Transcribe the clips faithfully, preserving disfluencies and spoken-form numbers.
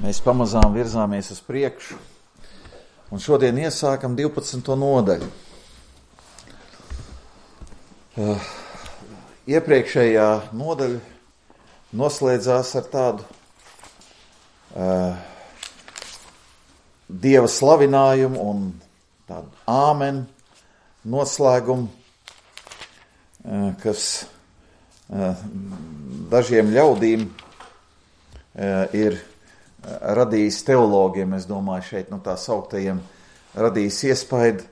Mēs pamazām virzāmies uz priekšu, un šodien iesākam divpadsmito nodaļu. Uh, iepriekšējā nodaļa noslēdzās ar tādu uh, Dieva slavinājumu un tādu āmen noslēgumu, uh, kas uh, dažiem ļaudīm uh, ir radījis teologiem, es domāju, šeit, nu tā sauktajiem, radījis iespaidu,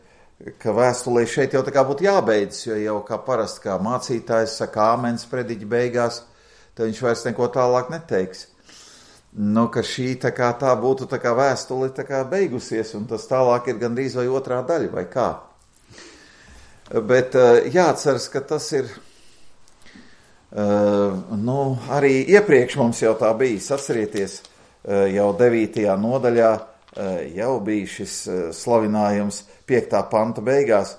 ka vēstulē šeit jau tā kā būtu jābeidz, jo jau kā parasti, kā mācītājs saka āmens prediķa beigās, tad viņš vairs neko tālāk neteiks. Nu, ka šī tā kā tā būtu tā kā vēstule tā kā beigusies, un tas tālāk ir gandrīz vai otrā daļa, vai kā. Bet jāatceras, ka tas ir, nu, arī iepriekš mums jau tā bijis, atcerieties, jau devītajā nodaļā jau bija šis slavinājums piektā panta beigās,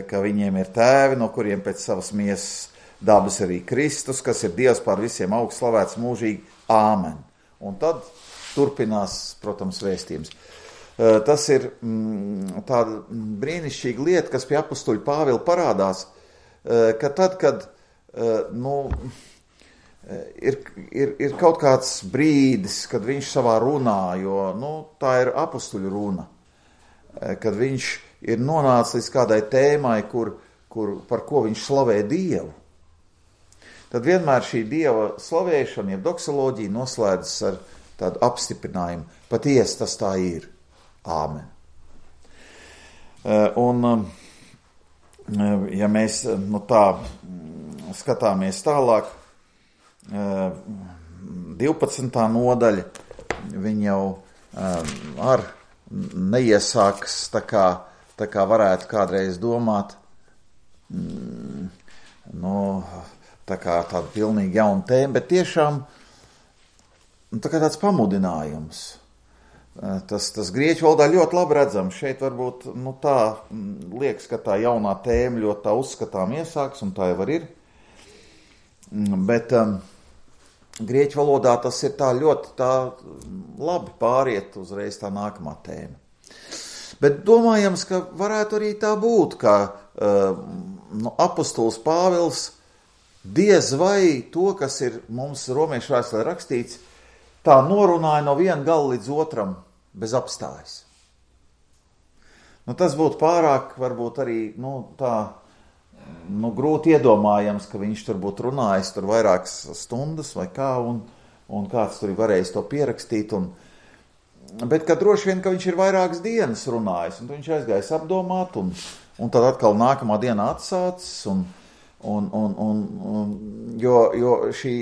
ka viņiem ir tēvi, no kuriem pēc savas miesas dabas arī Kristus, kas ir Dievs pār visiem augsts slavēts mūžīgi. Āmen. Un tad turpinās, protams, vēstījums. Tas ir mm, tāda brīnišķīga lieta, kas pie apustuļa Pāvila parādās, ka tad, kad, nu, Ir, ir, ir kaut kāds brīdis, kad viņš savā runā, jo nu, tā ir apustuļu runa, kad viņš ir nonācis līdz kādai tēmai, kur, kur, par ko viņš slavē Dievu. Tad vienmēr šī Dieva slavēšana, jeb doksoloģija, noslēdzas ar tādu apstiprinājumu. Patiesi tas tā ir. Āmen. Un, ja mēs nu, tā skatāmies tālāk, divpadsmitā nodaļa, viņa jau ar neiesākas tā kā, tā kā varētu kādreiz domāt, nu, tā kā tāda pilnīgi jauna tēma, bet tiešām tā kā tāds pamudinājums. Tas, tas grieķu valodā ļoti labi redzams. Šeit varbūt nu, tā liekas, ka tā jaunā tēma ļoti tā uzskatām iesāks, un tā jau var ir. Bet um, grieķu valodā tas ir tā ļoti tā labi pāriet uzreiz tā nākamā tēma. Bet domājams, ka varētu arī tā būt, ka uh, nu, apustulis Pāvils diez vai to, kas ir mums romiešu vēstulē rakstīts, tā norunāja no viena gala līdz otram bez apstājas. Nu, tas būtu pārāk, varbūt arī, nu, tā, nu, grūti iedomājams, ka viņš tur būtu runājis tur vairākas stundas vai kā, un, un kāds tur ir varējis to pierakstīt. Un, bet ka droši vien, ka viņš ir vairākas dienas runājis, un viņš aizgājis apdomāt, un, un tad atkal nākamā dienā atsācis, un, un, un, un, un jo, jo šī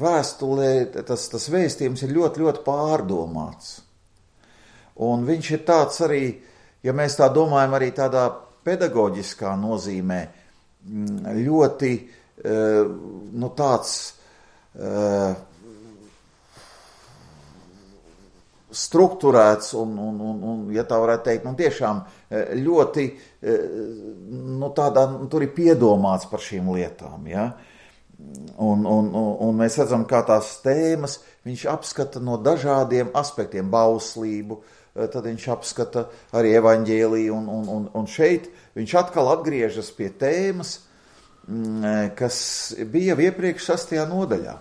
vēstulē, tas, tas vēstījums ir ļoti, ļoti pārdomāts. Un viņš ir tāds arī, ja mēs tā domājam, arī tādā pedagoģiskā nozīmē, ļoti nu, tāds uh, strukturēts un, un, un, un, ja tā varētu teikt, nu, tiešām ļoti, nu, tādā, tur ir piedomāts par šīm lietām, ja? Un, un, un, un mēs redzam, kā tās tēmas viņš apskata no dažādiem aspektiem, bauslību, tad viņš apskata arī evaņģēliju, un, un, un, un šeit viņš atkal atgriežas pie tēmas, kas bija jau iepriekš sastajā nodaļā,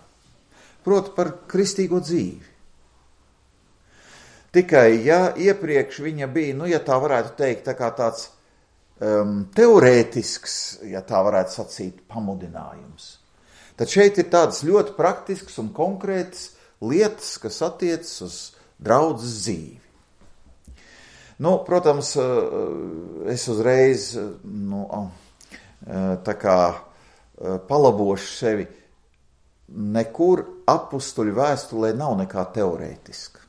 proti par kristīgo dzīvi. Tikai, ja iepriekš viņa bija, nu, ja tā varētu teikt, tā kā tāds um, teorētisks, ja tā varētu sacīt, pamudinājums, tad šeit ir tādas ļoti praktiskas un konkrētas lietas, kas attiecas uz draudzes dzīvi. Nu, protams, es uzreiz, nu, tā kā palabošu sevi, nekur apustuļu vēstulē nav nekā teorētiska.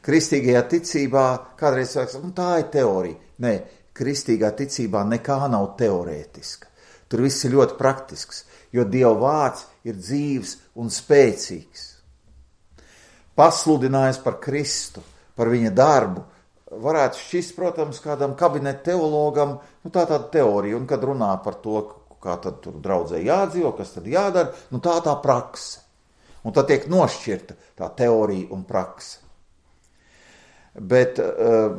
Kristīgajā ticībā kādreiz saka, nu, tā ir teorija. Nē, kristīgā ticībā nekā nav teorētiska. Tur viss ir ļoti praktisks, jo Dieva vārds ir dzīvs un spēcīgs. Pasludinājis par Kristu, par viņa darbu, varētu šķist, protams, kādam kabinetu teologam, nu tā tāda teorija, un kad runā par to, kā tad tur draudzē jādzīvo, kas tad jādara, nu tā tā prakse. Un tad tiek nošķirta tā teorija un prakse. Bet uh,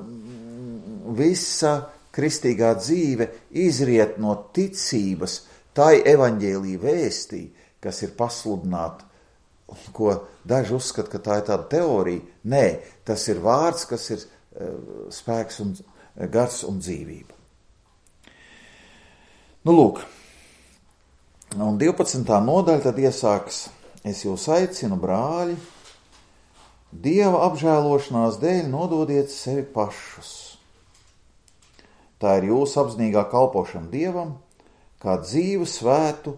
visa kristīgā dzīve izriet no ticības tai evaņģēlija vēstī, kas ir pasludināta, ko daži uzskata, ka tā ir tāda teorija. Nē, tas ir vārds, kas ir uh, spēks un gars un dzīvība. Nu, lūk, un divpadsmitā nodaļa tad iesāks: es jūs aicinu, brāļi, Dieva apžēlošanās dēļ nododiet sevi pašus. Tā ir jūsu apzinīgā kalpošana Dievam, kā dzīvu, svētu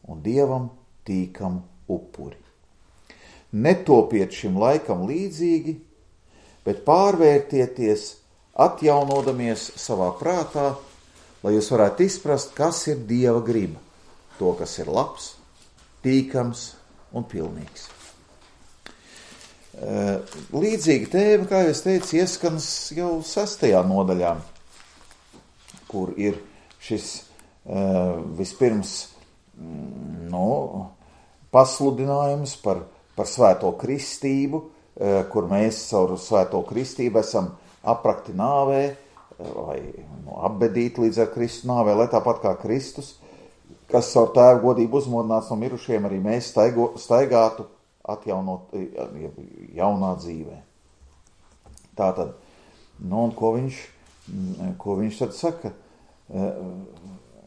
un Dievam tīkamu upuri. Netopiet šim laikam līdzīgi, bet pārvērtieties, atjaunodamies savā prātā, lai jūs varētu izprast, kas ir Dieva griba, to, kas ir labs, tīkams un pilnīgs. Līdzīga tēma, kā es teicu, ieskans jau sastajā nodaļā, kur ir šis vispirms no, pasludinājums par, par svēto kristību, kur mēs caur svēto kristību esam aprakti nāvē, vai no, apbedīti līdz ar Kristu nāvē, lai tāpat kā Kristus, kas caur tēva godību uzmodināts no mirušiem, arī mēs staigo, staigātu atjaunot jaunā dzīvē. Tātad, nu un ko viņš, ko viņš tad saka?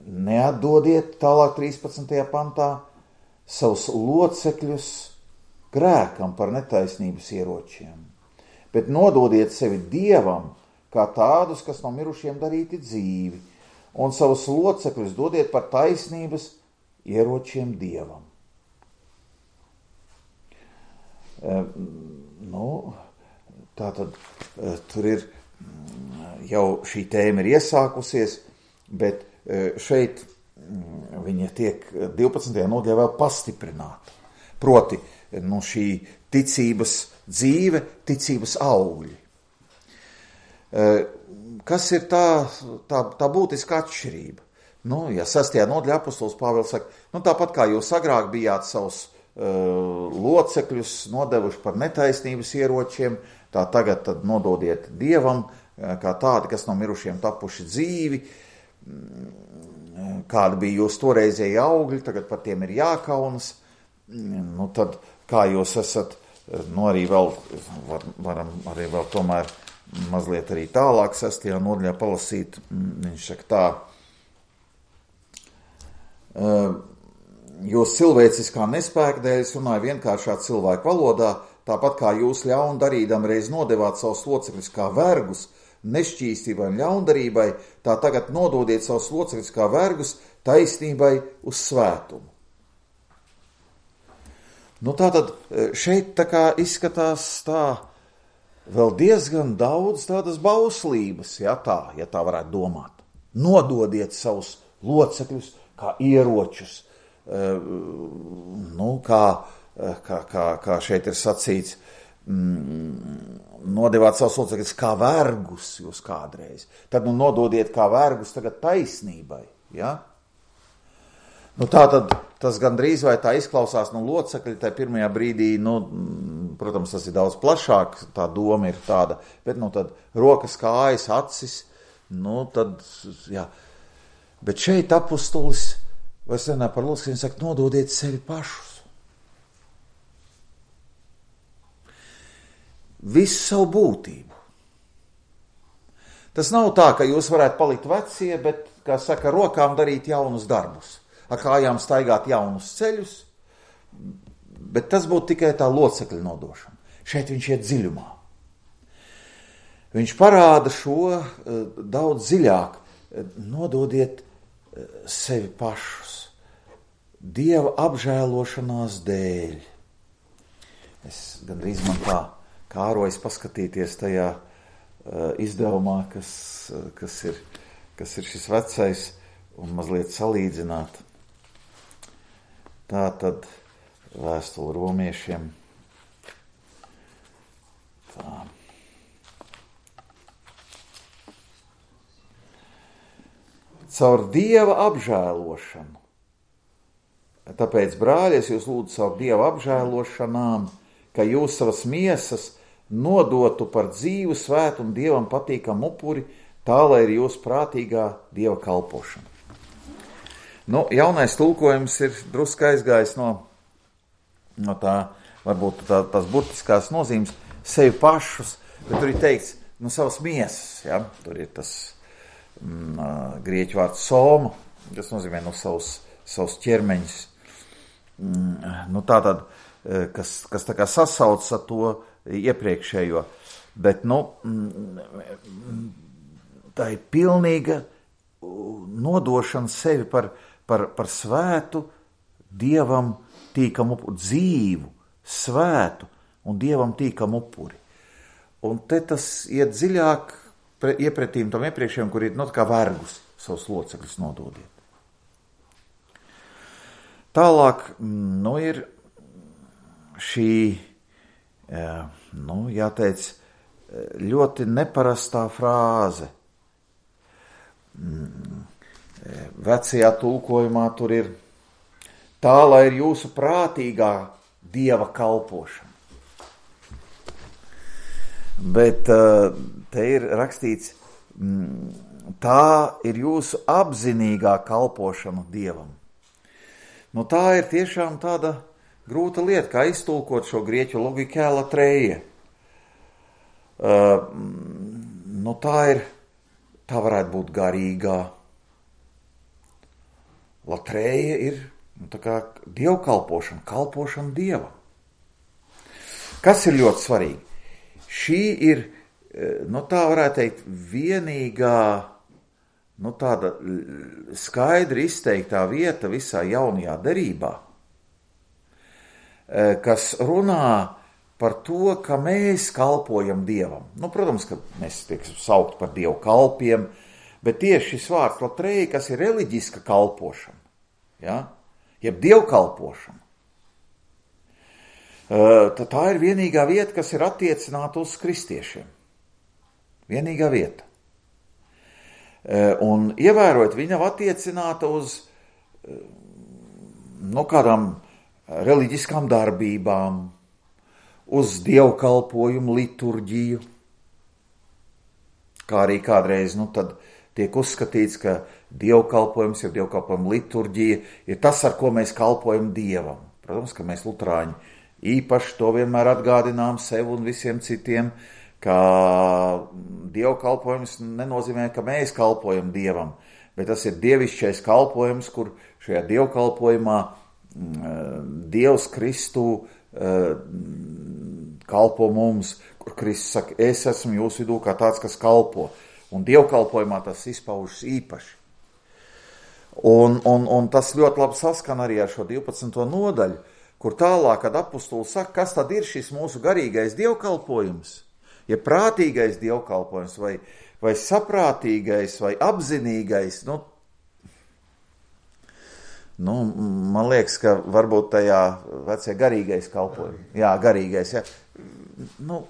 Neatdodiet, tālāk trīspadsmitajā pantā, savus locekļus grēkam par netaisnības ieročiem, bet nododiet sevi Dievam, kā tādus, kas no mirušiem darīti dzīvi, un savus locekļus dodiet par taisnības ieročiem Dievam. Nu, tā tad tur ir jau šī tēma ir iesākusies, bet šeit viņa tiek divpadsmitajā nodaļā vēl pastiprināta. Proti, nu, šī ticības dzīve, ticības augļi. Kas ir tā, tā, tā būtiska atšķirība? Nu, ja sastajā nodaļā apostols Pāvils saka, nu, tāpat kā jūs agrāk bijāt savus locekļus nodevuši par netaisnības ieročiem, tā tagad tad nododiet Dievam, kā tādi, kas no mirušiem tapuši dzīvi, kādi bija jūs toreizēji augļi, tagad par tiem ir jākaunas, nu tad kā jūs esat, nu arī vēl, var, varam arī vēl tomēr mazliet arī tālāk sastajā nodaļā palasīt, viņš saka tā, jūs cilvēciskā nespēka dēļ runāja vienkāršā cilvēku valodā, tāpat kā jūs ļaunu darīdam reiz nodevāt savus locekļus kā vergus, nešķīstībai un ļaundarībai, tā tagad nododiet savus locekļus kā vergus taisnībai uz svētumu. Nu tātad šeit tā kā izskatās tā vēl diezgan daudz tādas bauslības, ja tā, ja tā varētu domāt. Nododiet savus locekļus kā ieročus, nu, kā, kā, kā, kā šeit ir sacīts, mm, nodevāt savus locekļus kā vergus jūs kādreiz. Tad nu nododiet kā vergus tagad taisnībai, ja? Nu tā tad tas gandrīz vai tā izklausās no locekļi, tā pirmajā brīdī, nu, protams, tas ir daudz plašāk, tā doma ir tāda, bet nu tad rokas, kājas, acis, nu tad, jā. Bet šeit apustulis, vai es runāju par locekļiem, saka, nododiet sevi pašus. Visu savu būtību. Tas nav tā, ka jūs varētu palikt vecie, bet, kā saka, rokām darīt jaunus darbus, ar kājām staigāt jaunus ceļus, bet tas būtu tikai tā locekļa nodošana. Šeit viņš iet dziļumā. Viņš parāda šo uh, daudz dziļāk. Nododiet uh, sevi pašus. Dieva apžēlošanās dēļ. Es gandrīz man tā kārojas paskatīties tajā uh, izdevumā, kas, uh, kas, ir, kas ir šis vecais, un mazliet salīdzināt. Tā tad vēstule romiešiem. Tā. Caur Dieva apžēlošanu. Tāpēc, brāļi, es jūs lūdzu savu Dievu apžēlošanām, ka jūs savas miesas nodotu par dzīvu, svētu un Dievam patīkamu upuri, tā, lai ir jūsu prātīgā Dieva kalpošana. Nu, jaunais tulkojums ir drusku aizgājis no, no tā, varbūt tā, tās burtiskās nozīmes, sevi pašus, bet tur ir teikts, nu, savas miesas, ja? Tur ir tas mm, grieķu vārds soma, kas nozīmē no savus, savus ķermeņus. Mm, nu, tā tad, kas, kas tā kā sasauc ar to iepriekšējo, bet, nu, mm, tā ir pilnīga nodošana sevi par, par, par svētu, Dievam tīkamu upuri, dzīvu, svētu un Dievam tīkamu upuri. Un te tas iet dziļāk pre, iepretīm tam iepriekšējiem, kur ir, nu, kā vergus savus locekļus nododiet. Tālāk, nu, ir šī, nu, jāteic, ļoti neparastā frāze. Vecajā tulkojumā tur ir tā, lai ir jūsu prātīgā Dieva kalpošana. Bet te ir rakstīts, tā ir jūsu apzinīgā kalpošana Dievam. Nu, tā ir tiešām tāda grūta lieta, kā iztulkot šo grieķu logikā latreja. Uh, nu, tā ir, tā varētu būt garīgā. Latreja ir, nu, tā kā dievkalpošana, kalpošana Dievam. Kas ir ļoti svarīgi? Šī ir, nu, tā varētu teikt, vienīgā, nu, tāda skaidri izteiktā vieta visā jaunajā derībā, kas runā par to, ka mēs kalpojam Dievam. Nu, protams, ka mēs tiek saukt par Dievu kalpiem, bet tieši šis vārds latreja, kas ir reliģiska kalpošana, ja? Jeb dievkalpošana, tad tā ir vienīgā vieta, kas ir attiecināta uz kristiešiem. Vienīgā vieta. Un ievērot, viņa nav attiecināta uz, no kādām reliģiskām darbībām, uz dievkalpojumu liturģiju, kā arī kādreiz, nu, tad tiek uzskatīts, ka dievkalpojums, ja dievkalpojuma liturģija ir tas, ar ko mēs kalpojam Dievam. Protams, ka mēs luterāņi īpaši to vienmēr atgādinām sev un visiem citiem, ka dievkalpojums nenozīmē, ka mēs kalpojam Dievam, bet tas ir dievišķais kalpojums, kur šajā dievkalpojumā Dievs Kristu kalpo mums, kur Kristus saka, es esmu jūsu vidū kā tāds, kas kalpo. Un dievkalpojumā tas izpaužas īpaši. Un, un, un tas ļoti labi saskan arī ar šo divpadsmito nodaļu, kur tālāk, kad apustuli saka, kas tad ir šis mūsu garīgais dievkalpojums, ja prātīgais dievkalpojums, vai, vai saprātīgais, vai apzinīgais, nu, nu, man liekas, ka varbūt tajā vecajā garīgais kalpojums, jā, garīgais, jā, nu,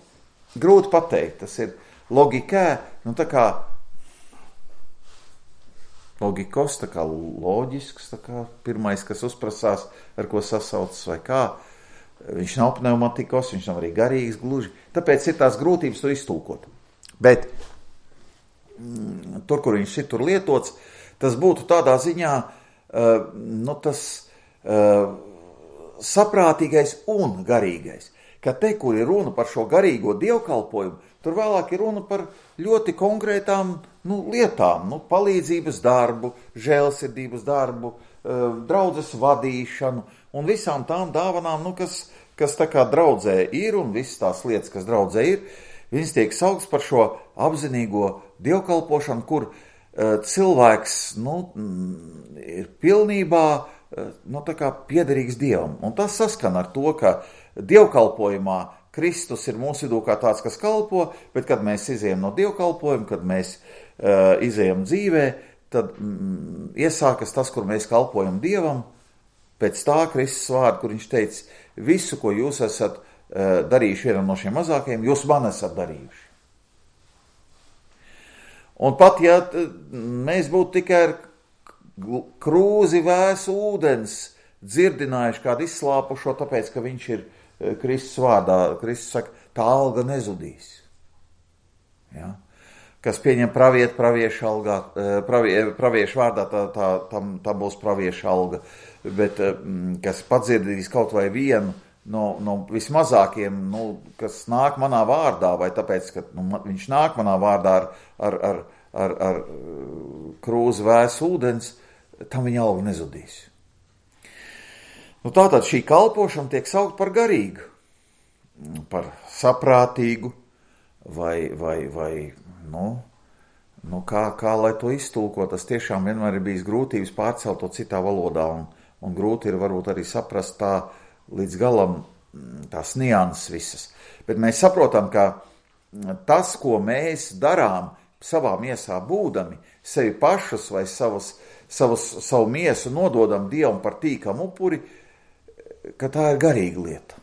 grūti pateikt, tas ir logikā, nu, tā kā logikos, tā kā loģisks, tā kā pirmais, kas uzprasās, ar ko sasaucas vai kā, viņš nav pneumatikos, viņš nav arī garīgs gluži, tāpēc ir tās grūtības to iztulkot. Bet mm, tur, kur viņš ir tur lietots, tas būtu tādā ziņā, uh, nu, tas uh, saprātīgais un garīgais, ka te, kur ir runa par šo garīgo dievkalpojumu, tur vēlāk ir runa par ļoti konkrētām, nu, lietām, nu, palīdzības darbu, žēlsirdības darbu, draudzes vadīšanu un visām tām dāvanām, nu, kas, kas tā kā draudzē ir un visas tās lietas, kas draudzē ir, viņas tiek saukts par šo apzinīgo dievkalpošanu, kur uh, cilvēks, nu, ir pilnībā, uh, nu, tā kā piederīgs Dievam. Un tas saskan ar to, ka dievkalpojumā Kristus ir mūsu vidū kā tāds, kas kalpo, bet kad mēs izejam no dievkalpojuma, kad mēs uh, izejam dzīvē, tad mm, iesākas tas, kur mēs kalpojam Dievam, pēc tā Kristus vārda, kur viņš teica, visu, ko jūs esat uh, darījuši vienam no šiem mazākajiem, jūs man esat darījuši. Un pat, ja mēs būtu tikai ar krūzi vēsu ūdens dzirdinājuši kādu izslāpušo, tāpēc, ka viņš ir Kristus vārdā. Kristus saka, tā alga nezudīs. Ja? Kas pieņem pravietu praviešu algā, pravie, praviešu vārdā, tā, tā, tam, tā būs praviešu alga. Bet kas padzirdīs kaut vai vienu no, no vismazākiem, nu, kas nāk manā vārdā, vai tāpēc, ka nu, viņš nāk manā vārdā ar, ar, ar, ar, ar krūzi vēsu ūdens, tam viņa alga nezudīs. Nu, tātad šī kalpošana tiek saukt par garīgu, par saprātīgu, vai, vai, vai nu, nu kā, kā lai to iztulko, tas tiešām vienmēr ir bijis grūtības pārcelt to citā valodā, un, un grūti ir varbūt arī saprast tā līdz galam tās nianses visas. Bet mēs saprotam, ka tas, ko mēs darām savā miesā būdami, sevi pašus vai savas, savas, savu miesu nododam Dievam par tīkam upuri, ka tā ir garīga lieta.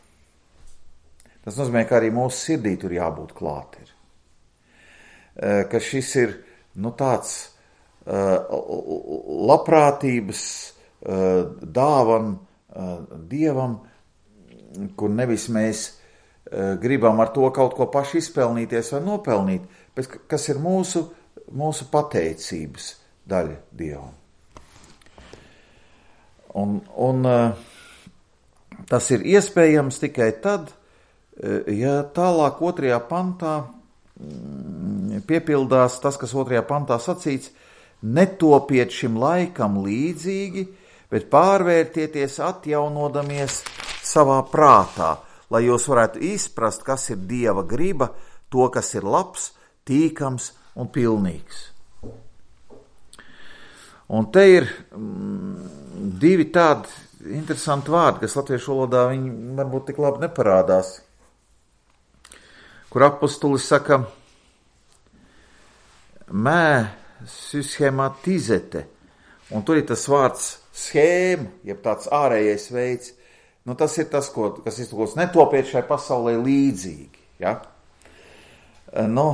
Tas nozīmē, ka arī mūsu sirdī tur jābūt klāt ir. Ka šis ir nu, tāds uh, labprātības uh, dāvan uh, Dievam, kur nevis mēs uh, gribam ar to kaut ko paši izpelnīties vai nopelnīt, bet kas ir mūsu, mūsu pateicības daļa Dievam. Un, un uh, tas ir iespējams tikai tad, ja tālāk otrajā pantā piepildās tas, kas otrajā pantā sacīts, netopiet šim laikam līdzīgi, bet pārvērtieties atjaunodamies savā prātā, lai jūs varētu izprast, kas ir Dieva griba, to, kas ir labs, tīkams un pilnīgs. Un te ir mm, divi tādi interesanti vārdi, kas latviešu valodā viņi varbūt tik labi neparādās, kur apostulis saka mē syschematizete, un tur ir tas vārds schēma, jeb tāds ārējais veids, nu tas ir tas, ko, kas iztulkots netopiet šai pasaulē līdzīgi, ja? Nu,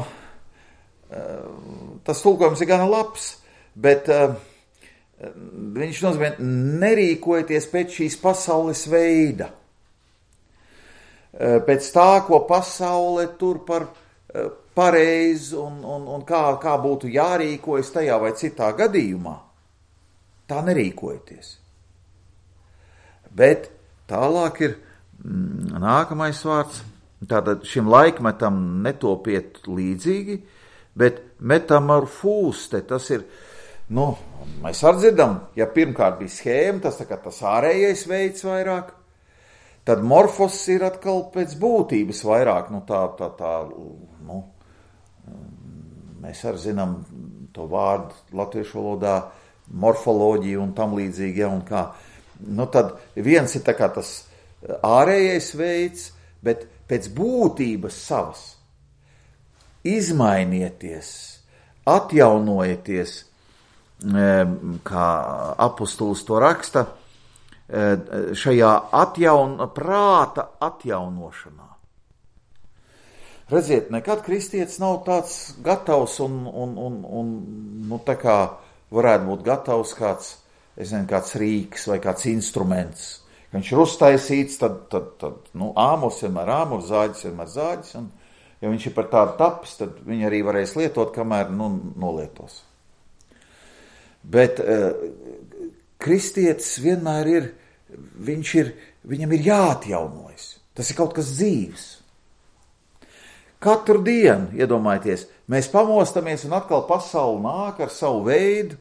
tas tulkojums ir gana labs, bet uh, viņš nozīmē nerīkojieties pēc šīs pasaules veida. Pēc tā, ko pasaule tur par pareizi un, un, un kā, kā būtu jārīkojas tajā vai citā gadījumā, tā nerīkojieties. Bet tālāk ir mm, nākamais vārds, tātad šim laikmetam netopiet līdzīgi, bet metamorfūste, tas ir, nu, mēs atdzirdam, ja pirmkārt bija schēma, tas tā kā tas ārējais veids vairāk, tad morfos ir atkal pēc būtības vairāk, nu tā, tā, tā, nu, mēs arī zinām to vārdu latviešu valodā, morfoloģiju un tam līdzīgi, ja, un kā. Nu tad viens ir tā kā tas ārējais veids, bet pēc būtības savas. Izmainieties, atjaunojieties, kā apostulis to raksta, šajā atjaun, prāta atjaunošanā. Redziet, nekad kristietis nav tāds gatavs un, un, un, un nu, tā kā varētu būt gatavs kāds, es nezinu, kāds rīks vai kāds instruments. Viņš ir uztaisīts, tad, tad, tad nu, āmurs vienmēr āmurs, zāģis vienmēr zāģis, un ja viņš ir par tādu tapis, tad viņi arī varēs lietot, kamēr nu, nolietos. Bet uh, kristietis vienmēr ir, viņš ir, viņam ir jāatjaunojas. Tas ir kaut kas dzīves. Katru dienu, iedomājieties, mēs pamostamies un atkal pasauli nāk ar savu veidu,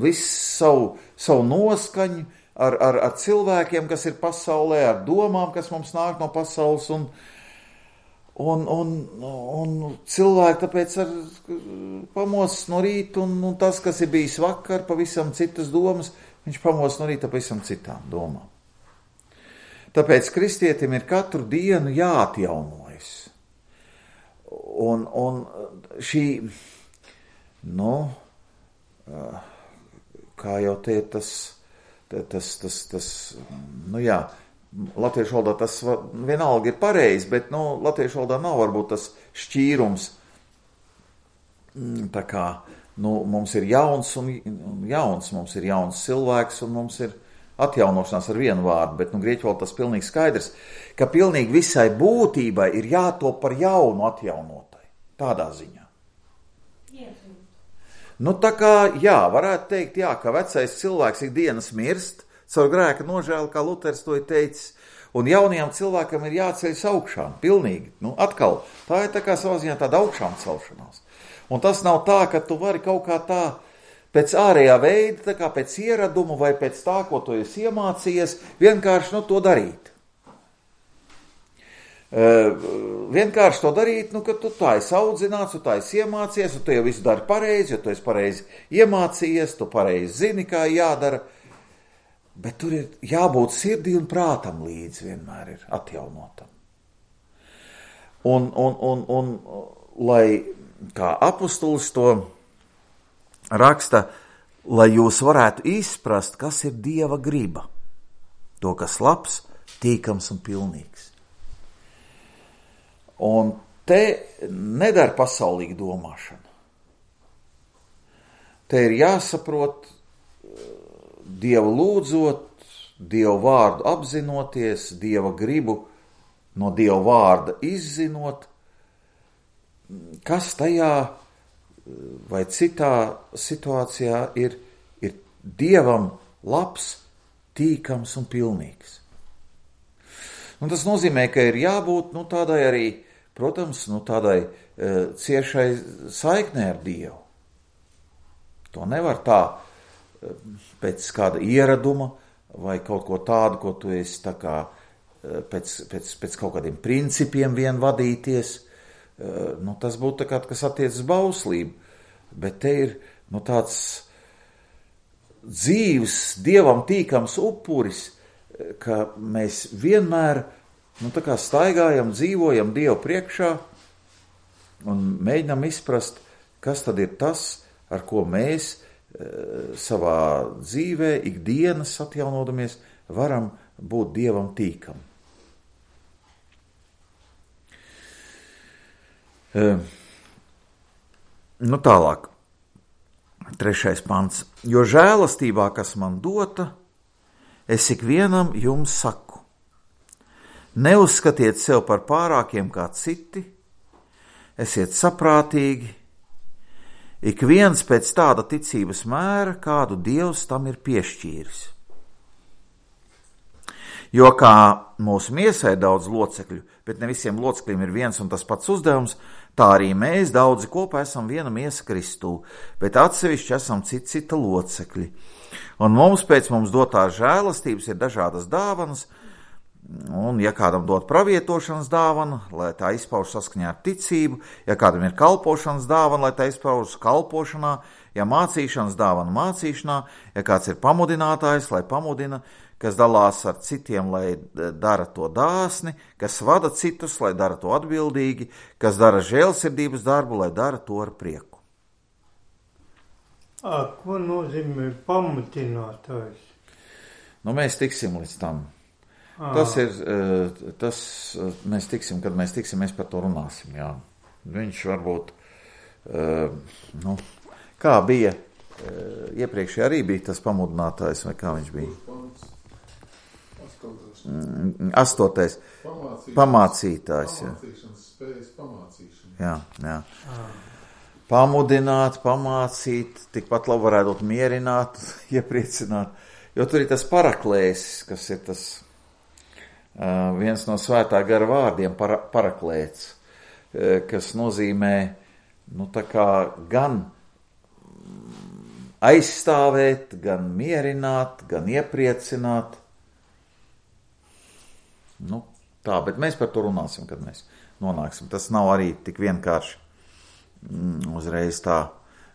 visu savu, savu noskaņu, ar, ar, ar cilvēkiem, kas ir pasaulē, ar domām, kas mums nāk no pasaules, un, un, un, un cilvēki tāpēc ar pamostas no rīta, un, un tas, kas ir bijis vakar, pavisam citas domas, viņš pamostas no rīta pavisam citām domām. Tāpēc kristietim ir katru dienu jāatjaunojas. Un, un šī, nu, kā jau te tas, tas, tas, tas, nu jā, latviešu valodā tas vienalga ir pareizi, bet, nu, latviešu valodā nav varbūt tas šķīrums, tā kā, nu, mums ir jauns un jauns, mums ir jauns cilvēks un mums ir atjaunošanās ar vienu vārdu, bet nu, grieķu valodā tas pilnīgi skaidrs, ka pilnīgi visai būtībai ir jātop par jaunu atjaunotai. Tādā ziņā. Nu, tā kā, jā, varētu teikt, jā, ka vecais cilvēks ikdienas mirst, caur grēka nožēlu, kā Luters to ir teicis, un jaunajam cilvēkam ir jāceļas augšām, pilnīgi. Nu, atkal, tā ir tā kā savā ziņā tāda augšām celšanās. Un tas nav tā, ka tu vari kaut kā tā pēc ārējā veida, tā kā pēc ieradumu vai pēc tā, ko tu esi iemācījies, vienkārši nu, to darīt. Uh, vienkārši to darīt, nu, ka tu tā esi audzināts, tu tā esi iemācījies, un tu jau visu dari pareizi, jo tu esi pareizi iemācījies, tu pareizi zini, kā jādara, bet tur ir jābūt sirdī un prātam līdzi vienmēr ir atjaunotam. Un, un, un, un lai, kā apustulis to raksta, lai jūs varētu izprast, kas ir Dieva griba, to, kas labs, tīkams un pilnīgs. Un te nedara pasaulīga domāšana. Te ir jāsaprot, Dievu lūdzot, Dievu vārdu apzinoties, Dieva gribu no Dieva vārda izzinot, kas tajā vai citā situācijā ir, ir Dievam labs, tīkams un pilnīgs. Un tas nozīmē, ka ir jābūt nu, tādai arī, protams, nu, tādai e, ciešai saiknē ar Dievu. To nevar tā e, pēc kāda ieraduma vai kaut ko tādu, ko tu esi tā kā e, pēc, pēc, pēc kaut kādiem principiem vien vadīties. E, nu, tas būtu tā kā, kas attiecas bauslību, bet te ir nu, tāds dzīves, Dievam tīkams upuris, ka mēs vienmēr nu, tā kā staigājam, dzīvojam Dievu priekšā un mēģinam izprast, kas tad ir tas, ar ko mēs e, savā dzīvē, ikdienas atjaunodamies, varam būt Dievam tīkam. E, nu tālāk, trešais pants. Jo žēlastībā, kas man dota, es ikvienam jums saku, neuzskatiet sev par pārākiem kā citi, esiet saprātīgi, ik viens pēc tāda ticības mēra, kādu Dievs tam ir piešķīris. Jo kā mūsu miesai daudz locekļu, bet ne visiem locekļiem ir viens un tas pats uzdevums, tā arī mēs daudzi kopā esam viena miesa Kristū, bet atsevišķi esam cita cita locekļi. Un mums pēc mums dotās žēlastības ir dažādas dāvanas, un ja kādam dot pravietošanas dāvana, lai tā izpauž saskaņā ar ticību, ja kādam ir kalpošanas dāvana, lai tā izpauž kalpošanā, ja mācīšanas dāvana mācīšanā, ja kāds ir pamudinātājs, lai pamudina, kas dalās ar citiem, lai dara to dāsni, kas vada citus, lai dara to atbildīgi, kas dara žēlsirdības darbu, lai dara to ar prieku. A, ko nozīmē pamudinātājs? Nu, mēs tiksim līdz tam. À. Tas ir, tas, mēs tiksim, kad mēs tiksim, mēs par to runāsim, jā. Viņš varbūt, nu, kā bija, iepriekšējā arī bija tas pamudinātājs, vai kā viņš bija? Astotais. Pamācītājs, jā. Pamācīšanas spējas pamācīšana. Jā, jā. À. Pamudināt, pamācīt, tikpat labi varētu mierināt, iepriecināt, jo tur ir tas paraklēsis, kas ir tas uh, viens no svētā gara vārdiem, para, paraklēts, uh, kas nozīmē, nu tā kā gan aizstāvēt, gan mierināt, gan iepriecināt. Nu tā, bet mēs par to runāsim, kad mēs nonāksim. Tas nav arī tik vienkārši. Uzreiz tā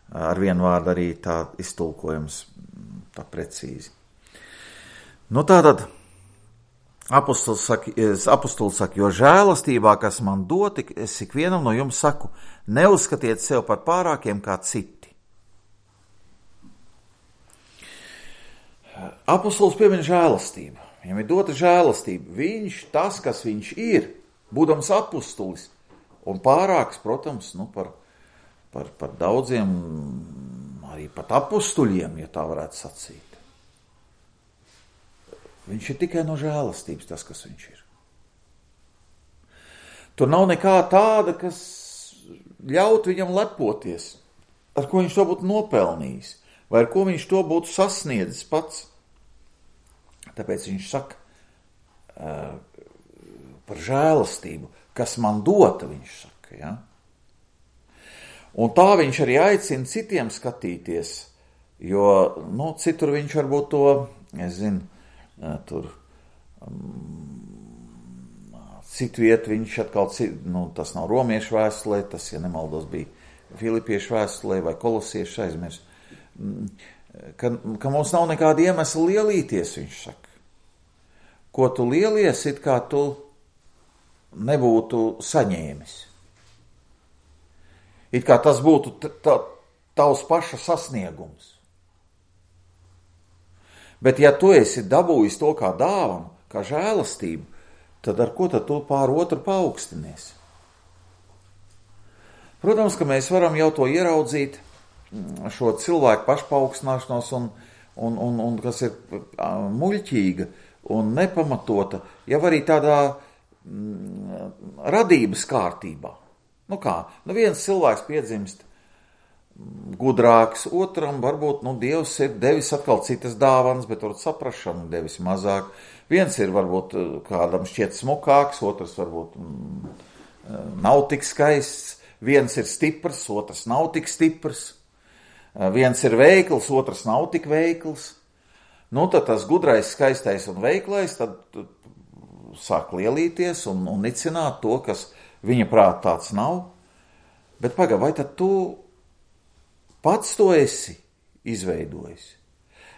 ar vienu vārdu arī tā iztulkojums tā precīzi. Nu tātad apustulis saka, apustulis saka, jo žēlastībā, kas man dot, es ikvienam no jums saku, neuzskatiet sev par pārākiem kā citi. Apustulis piemin žēlastību. Viņam ir dota žēlastība. Viņš, tas, kas viņš ir, būdams apustulis, un pārāks, protams, nu par Par, par daudziem, arī pat apustuļiem, ja tā varētu sacīt. Viņš ir tikai no žēlastības tas, kas viņš ir. Tur nav nekā tāda, kas ļaut viņam lepoties, ar ko viņš to būtu nopelnījis, vai ar ko viņš to būtu sasniedzis pats. Tāpēc viņš saka uh, par žēlastību, kas man dota, viņš saka, ja? Un tā viņš arī aicina citiem skatīties, jo, nu, citur viņš varbūt to, es zinu, tur um, citu vietu viņš atkal, nu, tas nav romiešu vēstulē, tas, ja nemaldos, bija filipiešu vēstulē vai kolosiešu aizmirs, ka, ka mums nav nekāda iemesla lielīties, viņš saka. Ko tu lielies, it kā tu nebūtu saņēmis. It kā tas būtu t- t- tavs paša sasniegums. Bet ja tu esi dabūjis to kā dāvanu, kā žēlastību, tad ar ko tad tu pār otru paaugstinies? Protams, ka mēs varam jau to ieraudzīt, šo cilvēku pašpaaugstināšanos, un, un, un, un kas ir muļķīga un nepamatota, jau arī tādā mm, radības kārtībā. Nu kā, nu viens cilvēks piedzimst gudrāks, otram varbūt, nu, Dievs ir devis atkal citas dāvanas, bet varbūt saprašanu devis mazāk. Viens ir varbūt kādam šķiet smukāks, otrs varbūt mm, nav tik skaists, viens ir stiprs, otrs nav tik stiprs, viens ir veikls, otrs nav tik veikls. Nu, tad tas gudrais, skaistais un veiklais tad sāk lielīties un, un nicināt to, kas viņa prāt tāds nav. Bet pagaid, vai tad tu pats to esi izveidojis?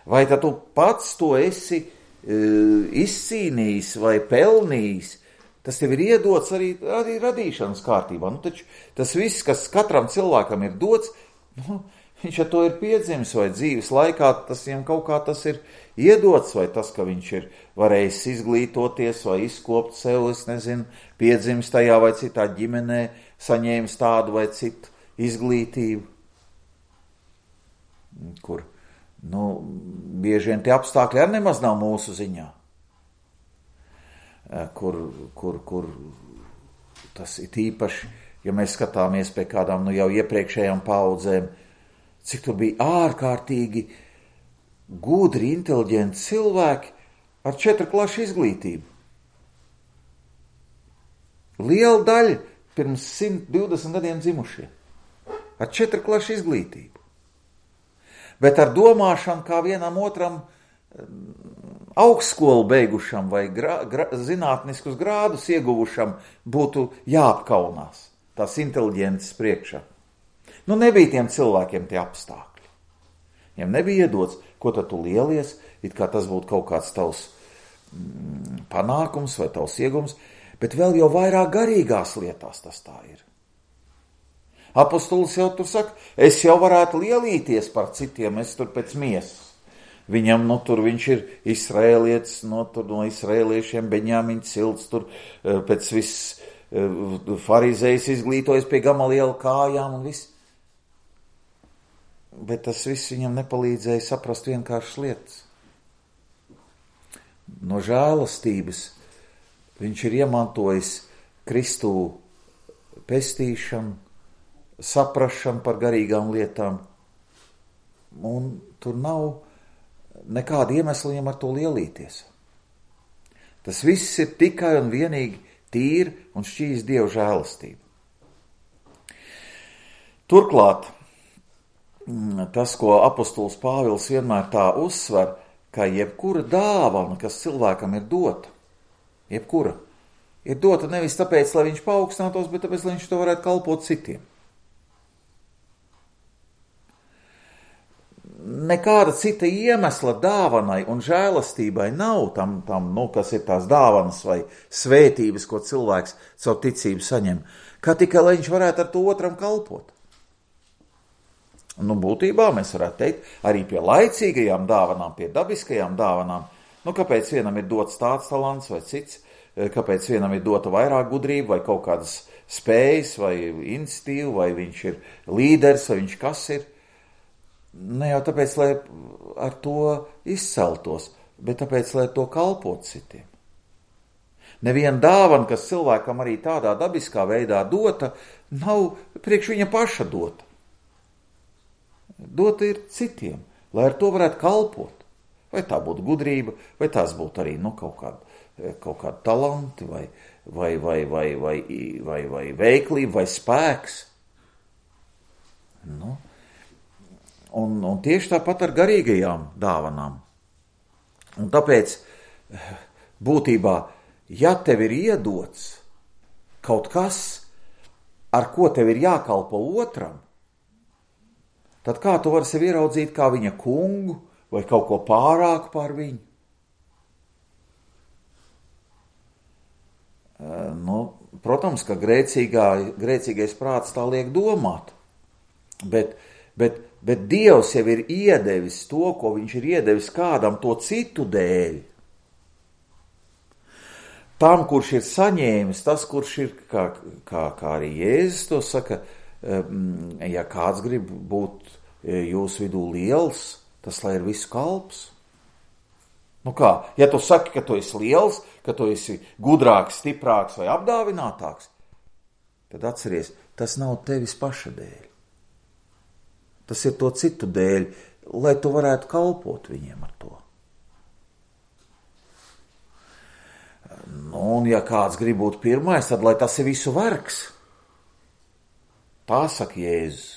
Vai tad tu pats to esi e, izcīnījis vai pelnījis? Tas tev ir iedots arī, arī radīšanas kārtībā. Nu, taču tas viss, kas katram cilvēkam ir dots, nu, viņš ar to ir piedzimis vai dzīves laikā, tas viņam kaut kā tas ir iedots, vai tas, ka viņš ir varējis izglītoties vai izkopt sev, es nezinu, piedzimis tajā vai citā ģimenē, saņēmis tādu vai citu izglītību, kur, nu, bieži vien tie apstākļi arī nemaz nav mūsu ziņā, kur, kur, kur tas ir īpaši, ja mēs skatāmies pie kādām, nu, jau iepriekšējām paudzēm, cik tur bija ārkārtīgi gudri, inteliģenti cilvēki ar četru klašu izglītību. Liela daļa pirms simt divdesmit gadiem dzimušie. Ar četru klašu izglītību. Bet ar domāšanu kā vienam otram augstskolu beigušam vai gra, gra, zinātniskus grādus ieguvušam būtu jāapkaunās tās inteliģences priekšā. Nu, nebija tiem cilvēkiem tie apstākļi. Viņiem nebija iedots, ko tad tu lielies, it kā tas būtu kaut kāds tavs mm, panākums vai tavs iegums, bet vēl jau vairāk garīgās lietās tas tā ir. Apostolis jau tur saka, es jau varētu lielīties par citiem, es tur pēc miesas. Viņam, nu, tur viņš ir izraēlietis, no, tur, no izraēliešiem, Beņāmiņa cilts, tur pēc viss farizējs izglītojas pie Gamaliela kājām un viss. Bet tas viss viņam nepalīdzēja saprast vienkāršas lietas. No žēlastības viņš ir iemantojis Kristū pestīšanu, saprašanu par garīgām lietām, un tur nav nekāda iemesla viņam ar to lielīties. Tas viss ir tikai un vienīgi tīri un šķīs Dieva žēlastība. Turklāt, tas, ko apostols Pāvils vienmēr tā uzsver, ka jebkura dāvana, kas cilvēkam ir dota, jebkura, ir dota nevis tāpēc, lai viņš paaugstinātos, bet tāpēc, lai viņš to varētu kalpot citiem. Nekāda cita iemesla dāvanai un žēlastībai nav tam, tam, nu, kas ir tās dāvanas vai svētības, ko cilvēks savu ticību saņem, kā tikai, lai viņš varētu ar to otram kalpot. Nu, būtībā mēs varētu teikt, arī pie laicīgajām dāvanām, pie dabiskajām dāvanām, nu, kāpēc vienam ir dots tāds talants vai cits, kāpēc vienam ir dota vairāk gudrība vai kaut kādas spējas vai iniciatīva, vai viņš ir līderis, vai viņš kas ir. Ne jau tāpēc, lai ar to izceltos, bet tāpēc, lai to kalpot citiem. Neviena dāvana, kas cilvēkam arī tādā dabiskā veidā dota, nav priekš viņa paša dota. Dota ir citiem, lai ar to varētu kalpot. Vai tā būtu gudrība, vai tās būtu arī nu, kaut kādi kaut kādi talanti, vai, vai, vai, vai, vai, vai, vai veiklība, vai spēks. Nu. Un, un tieši tāpat ar garīgajām dāvanām. Un tāpēc būtībā, ja tev ir iedots kaut kas, ar ko tev ir jākalpo otram, tad kā tu vari sevi ieraudzīt kā viņa kungu vai kaut ko pārāku par viņu? Nu, protams, ka grēcīgā, grēcīgais prāts tā liek domāt, bet, bet, bet Dievs jau ir iedevis to, ko viņš ir iedevis kādam to citu dēļ. Tam, kurš ir saņēmis, tas, kurš ir, kā, kā, kā arī Jēzus to saka, ja kāds grib būt jūsu vidū liels, tas lai ir visu kalps. Nu kā, ja tu saki, ka tu esi liels, ka tu esi gudrāks, stiprāks vai apdāvinātāks, tad atceries, tas nav tevis paša dēļ. Tas ir to citu dēļ, lai tu varētu kalpot viņiem ar to. Nu, un ja kāds grib būt pirmais, tad lai tas ir visu vergs. Tā saka Jēzus.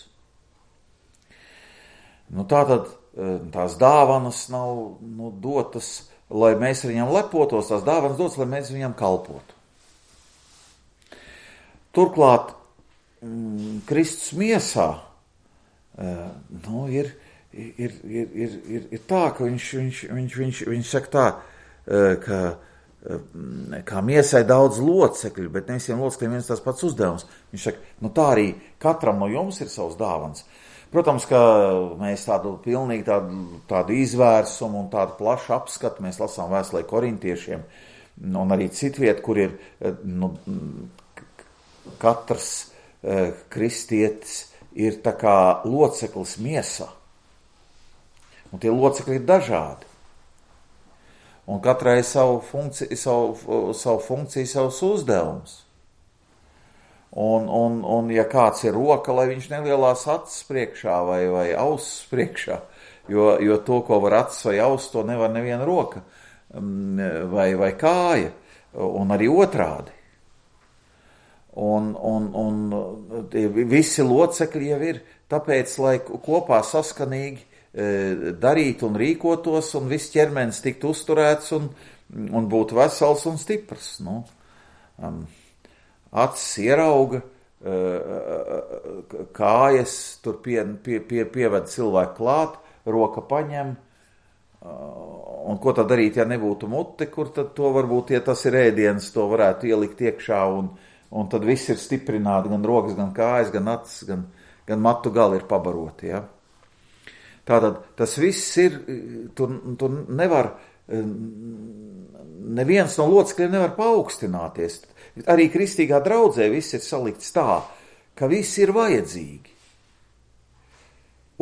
Nu, tātad tās dāvanas nav nu, dotas, lai mēs ar viņam lepotos, tās dāvanas dotas, lai mēs viņam kalpotu. Turklāt mm, Kristus miesā nu, ir, ir, ir, ir, ir, ir tā, ka viņš, viņš, viņš, viņš, viņš saka tā, ka kā miesai daudz locekļu, bet ne visiem locekļiem viens tās pats uzdevums. Viņš saka, nu tā arī katram no jums ir savs dāvans. Protams, ka mēs tādu pilnīgi tādu, tādu izvērsumu un tādu plašu apskatu mēs lasām vēstulē korintiešiem un arī citviet, kur ir nu, katrs eh, kristietis ir tā kā loceklis miesā. Un tie locekļi ir dažādi. Un katrai savu funkciju, savu, savu funkciju, savus uzdevumus. Un, un, un ja kāds ir roka, lai viņš nelielās acis priekšā vai, vai ausis priekšā, jo, jo to, ko var acis vai ausis, to nevar neviena roka vai, vai kāja, un arī otrādi. Un, un, un visi locekļi jau ir tāpēc, lai kopā saskanīgi darītu un rīkotos, un viss ķermenis tiktu uzturēts un, un būtu vesels un stiprs. Nu, um, acis ierauga, kājas tur pie, pie, pie, pieved cilvēku klāt, roka paņem, un ko tad darīt, ja nebūtu mute, kur tad to varbūt, ja tas ir ēdiens, to varētu ielikt iekšā, un, un tad viss ir stiprināti, gan rokas, gan kājas, gan acis, gan, gan matu gali ir pabaroti, ja. Tātad tas viss ir, tur, tur nevar, neviens no locekļiem nevar paaugstināties. Arī kristīgā draudzē viss ir salikts tā, ka viss ir vajadzīgi.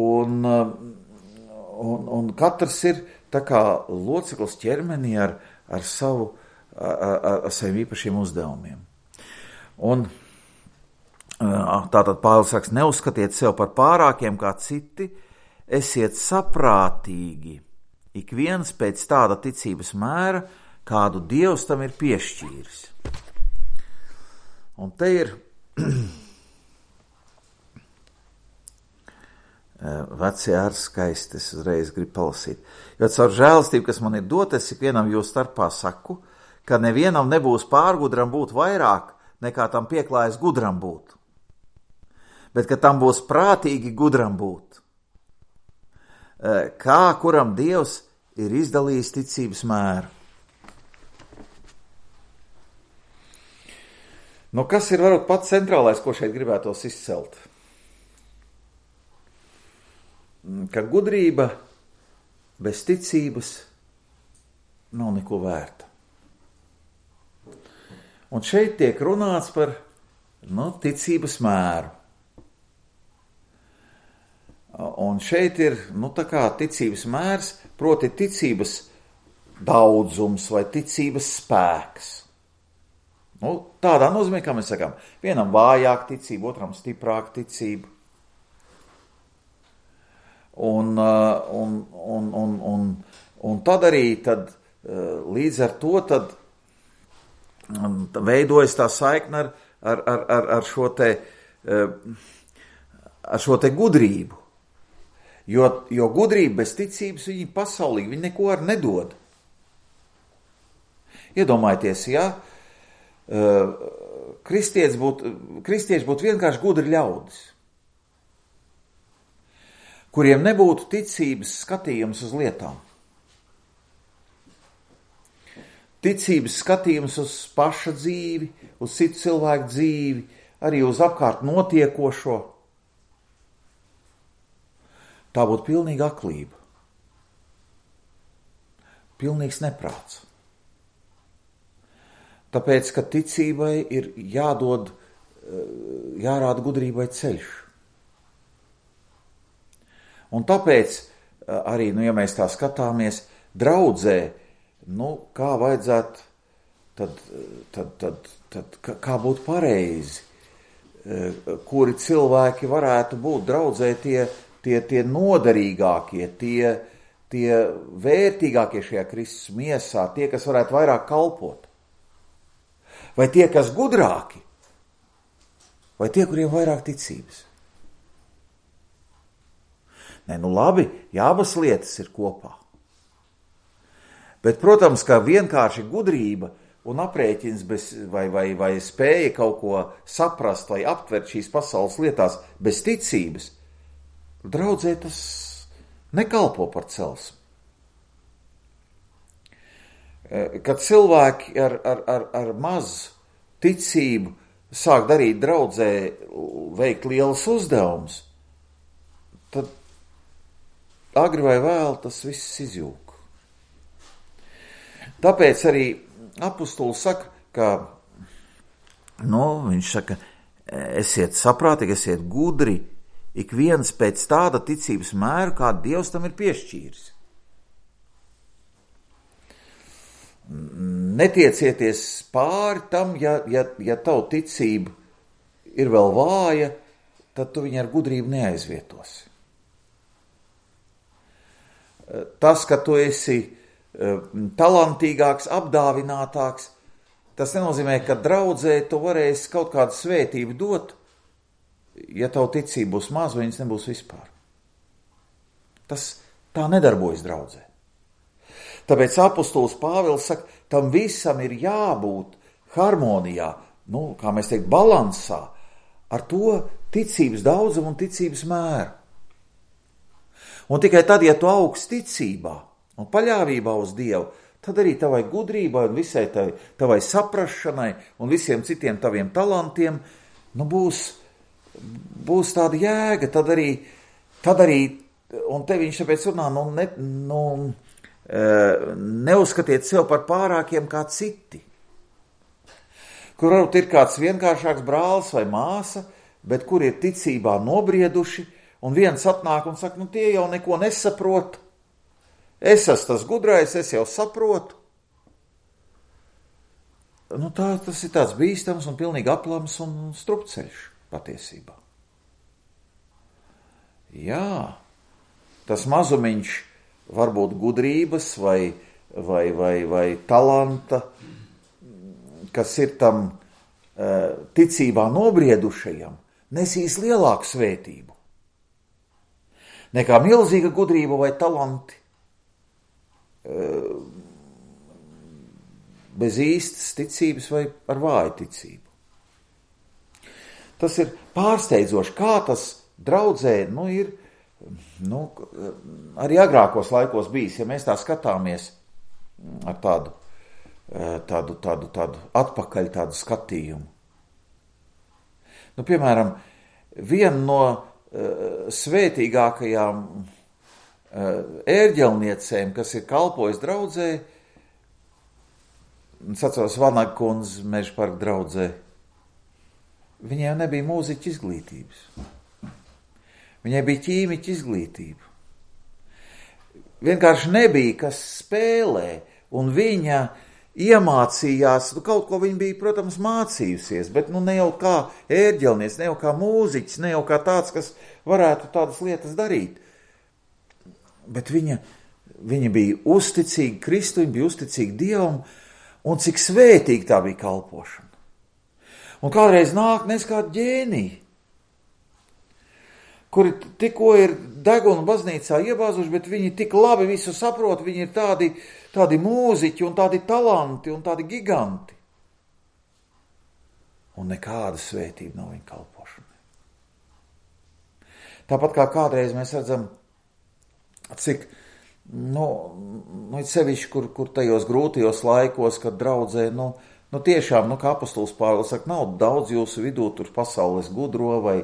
Un, un, un katrs ir tā kā loceklis ķermenī ar, ar, savu, ar, ar saviem īpašiem uzdevumiem. Un tātad Pāvils saka, neuzskatiet sev par pārākiem kā citi, esiet saprātīgi, ik viens pēc tāda ticības mēra, kādu Dievs tam ir piešķīris. Un te ir vecie ar skaisti, es uzreiz gribu palasīt. Jo caur žēlastību, kas man ir dotas, ik vienam jūs starpā saku, ka nevienam nebūs pārgudram būt vairāk, nekā tam pieklājas gudram būt. Bet ka tam būs prātīgi gudram būt. Kā kuram Dievs ir izdalījis ticības mēru. Nu, kas ir varbūt pats centrālais, ko šeit gribētos izcelt? Ka gudrība bez ticības nav neko vērta. Un šeit tiek runāts par nu, ticības mēru. Un šeit ir, nu tā kā ticības mērs, proti ticības daudzums vai ticības spēks. Nu, tādā nozīmē, kā mēs sakām, vienam vājāk ticība, otram stiprāk ticība. Un, un, un, un, un, un tad arī tad, līdz ar to tad veidojas tā saikne ar, ar, ar, ar, šo te, ar šo te gudrību. Jo, jo gudrība bez ticības viņi pasaulīgi, viņi neko ar nedod. Iedomājieties, ja kristieši būtu, kristieši būtu vienkārši gudri ļaudis, kuriem nebūtu ticības skatījums uz lietām. Ticības skatījums uz paša dzīvi, uz citu cilvēku dzīvi, arī uz apkārt notiekošo. Tā būtu pilnīga aklība. Pilnīgs neprāts. Tāpēc, ka ticībai ir jādod, jārāda gudrībai ceļš. Un tāpēc arī, nu, ja mēs tā skatāmies, draudzē, nu, kā vajadzētu, tad, tad, tad, tad kā būtu pareizi, kuri cilvēki varētu būt draudzē tie, tie, tie noderīgākie, tie, tie vērtīgākie šajā Kristus miesā, tie, kas varētu vairāk kalpot. Vai tie, kas gudrāki, vai tie, kuriem vairāk ticības. Nē, nu labi, ja abas lietas ir kopā. Bet, protams, ka vienkārši gudrība un aprēķins bez, vai, vai, vai spēja kaut ko saprast vai aptvert šīs pasaules lietās bez ticības, draudzē tas nekalpo par celsmi. Kad cilvēki ar, ar, ar, ar mazu ticību sāk darīt draudzē, veikt lielas uzdevumus, tad agri vai vēl tas viss izjūg. Tāpēc arī apustulis saka, ka, nu, viņš saka, esiet saprātīgi, esiet gudri, ik viens pēc tāda ticības mēra, kāda Dievs tam ir piešķīris. Netiecieties pāri tam, ja, ja, ja tavu ticība ir vēl vāja, tad tu viņu ar gudrību neaizvietosi. Tas, ka tu esi talantīgāks, apdāvinātāks, tas nenozīmē, ka draudzē tu varēsi kaut kādu svētību dot, ja tavu ticību būs maz, vai viņas nebūs vispār. Tas tā nedarbojas draudzē. Tāpēc apustulis Pāvils saka, tam visam ir jābūt harmonijā, nu, kā mēs teikt, balansā, ar to ticības daudzumu un ticības mēru. Un tikai tad, ja tu augst ticībā un paļāvībā uz Dievu, tad arī tavai gudrībai un visai tavai, tavai saprašanai un visiem citiem taviem talantiem, nu, būs, būs tāda jēga, tad arī, tad arī, un te viņš tāpēc runā, nu, ne, nu, neuzskatiet sev par pārākiem kā citi, kur varbūt ir kāds vienkāršāks brālis vai māsa, bet kur ir ticībā nobrieduši, un viens atnāk un saka, nu tie jau neko nesaprot, es esmu tas gudrais, es jau saprotu. Nu tā, tas ir tāds bīstams un pilnīgi aplams un strupceļš patiesībā. Jā, tas mazumiņš varbūt gudrības vai, vai, vai, vai talanta, kas ir tam ticībā nobriedušajam, nesīs lielāku svētību nekā milzīga gudrība vai talanti bez īstas ticības vai ar vāju ticību. Tas ir pārsteidzoši, kā tas draudzē, nu, ir, nu, arī agrākos laikos bijis, ja mēs tā skatāmies ar tādu, tādu, tādu, tādu atpakaļ tādu skatījumu. Nu, piemēram, viena no uh, svētīgākajām uh, ērģelniecēm, kas ir kalpojis draudzē, es atceros Vanaga kundze Mežaparka draudzē, viņai nebija mūziķa izglītības. Viņai bija ķīmiķa izglītība. Vienkārši nebija, kas spēlē un viņa iemācījās, nu kaut ko viņa bija, protams, mācījusies, bet nu ne jau kā ērģelnieks, ne jau kā mūziķis, ne jau kā tāds, kas varētu tādas lietas darīt. Bet viņa, viņa bija uzticīga Kristu, viņa bija uzticīga Dievam, un cik svētīgi tā bija kalpošana. Un kādreiz nāk nes kādi ģēniji, kuri tikko ir degunu baznīcā iebāzuši, bet viņi tik labi visu saprot, viņi ir tādi, tādi mūziķi un tādi talanti un tādi giganti. Un nekāda svētība nav viņa kalpošanai. Tāpat kā kādreiz mēs redzam, cik, nu, nu sevišķi, kur, kur tajos grūtajos laikos, kad draudzē, nu, nu tiešām, nu, kā apostols Pāvils saka, nav daudz jūsu vidū tur pasaules gudro vai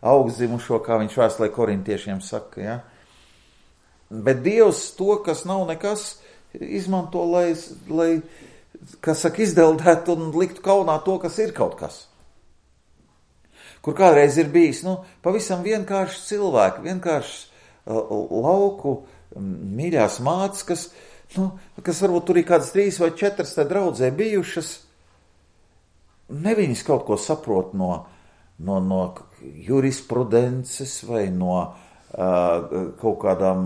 augstzimušo, kā viņš vēstulē korintiešiem saka, ja? Bet Dievs to, kas nav nekas, izmanto, lai, lai kas saka, izdeldētu un liktu kaunā to, kas ir kaut kas. Kur kādreiz ir bijis, nu, pavisam vienkārši cilvēki, vienkārši uh, lauku mīļās mātes, kas, nu, kas varbūt tur ir kādas trīs vai četras te draudzē bijušas, ne viņas kaut ko saprot no, no, no jurisprudences vai no uh, kaut kādām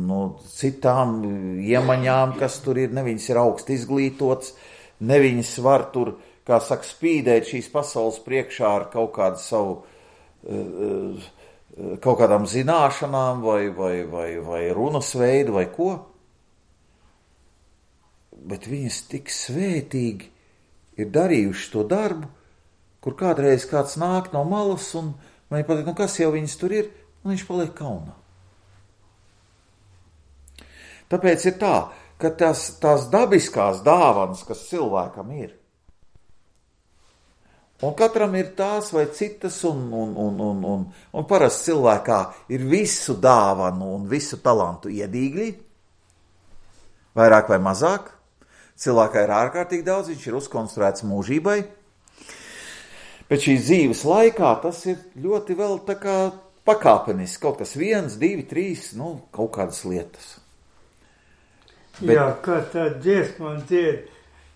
no citām iemaņām, kas tur ir, ne viņas ir augsti izglītots, ne viņas var tur, kā saka, spīdēt šīs pasaules priekšā ar kaut kādu savu, uh, kaut kādām zināšanām vai, vai, vai, vai runas veidu vai ko. Bet viņas tik svētīgi ir darījuši to darbu, kur kādreiz kāds nāk no malas un man pateikt, nu kas jau viņas tur ir, un viņš paliek kaunā. Tāpēc ir tā, ka tās, tās dabiskās dāvanas, kas cilvēkam ir, un katram ir tās vai citas, un, un, un, un, un, un parasti cilvēkā ir visu dāvanu un visu talantu iedīgļi, vairāk vai mazāk. Cilvēkā ir ārkārtīgi daudz, viņš ir uzkonstruēts mūžībai, bet šīs dzīves laikā tas ir ļoti vēl tā kā pakāpeniski, kaut kas viens, divi, trīs, nu, kaut kādas lietas. Bet... Jā, kā tā dziesma dzied,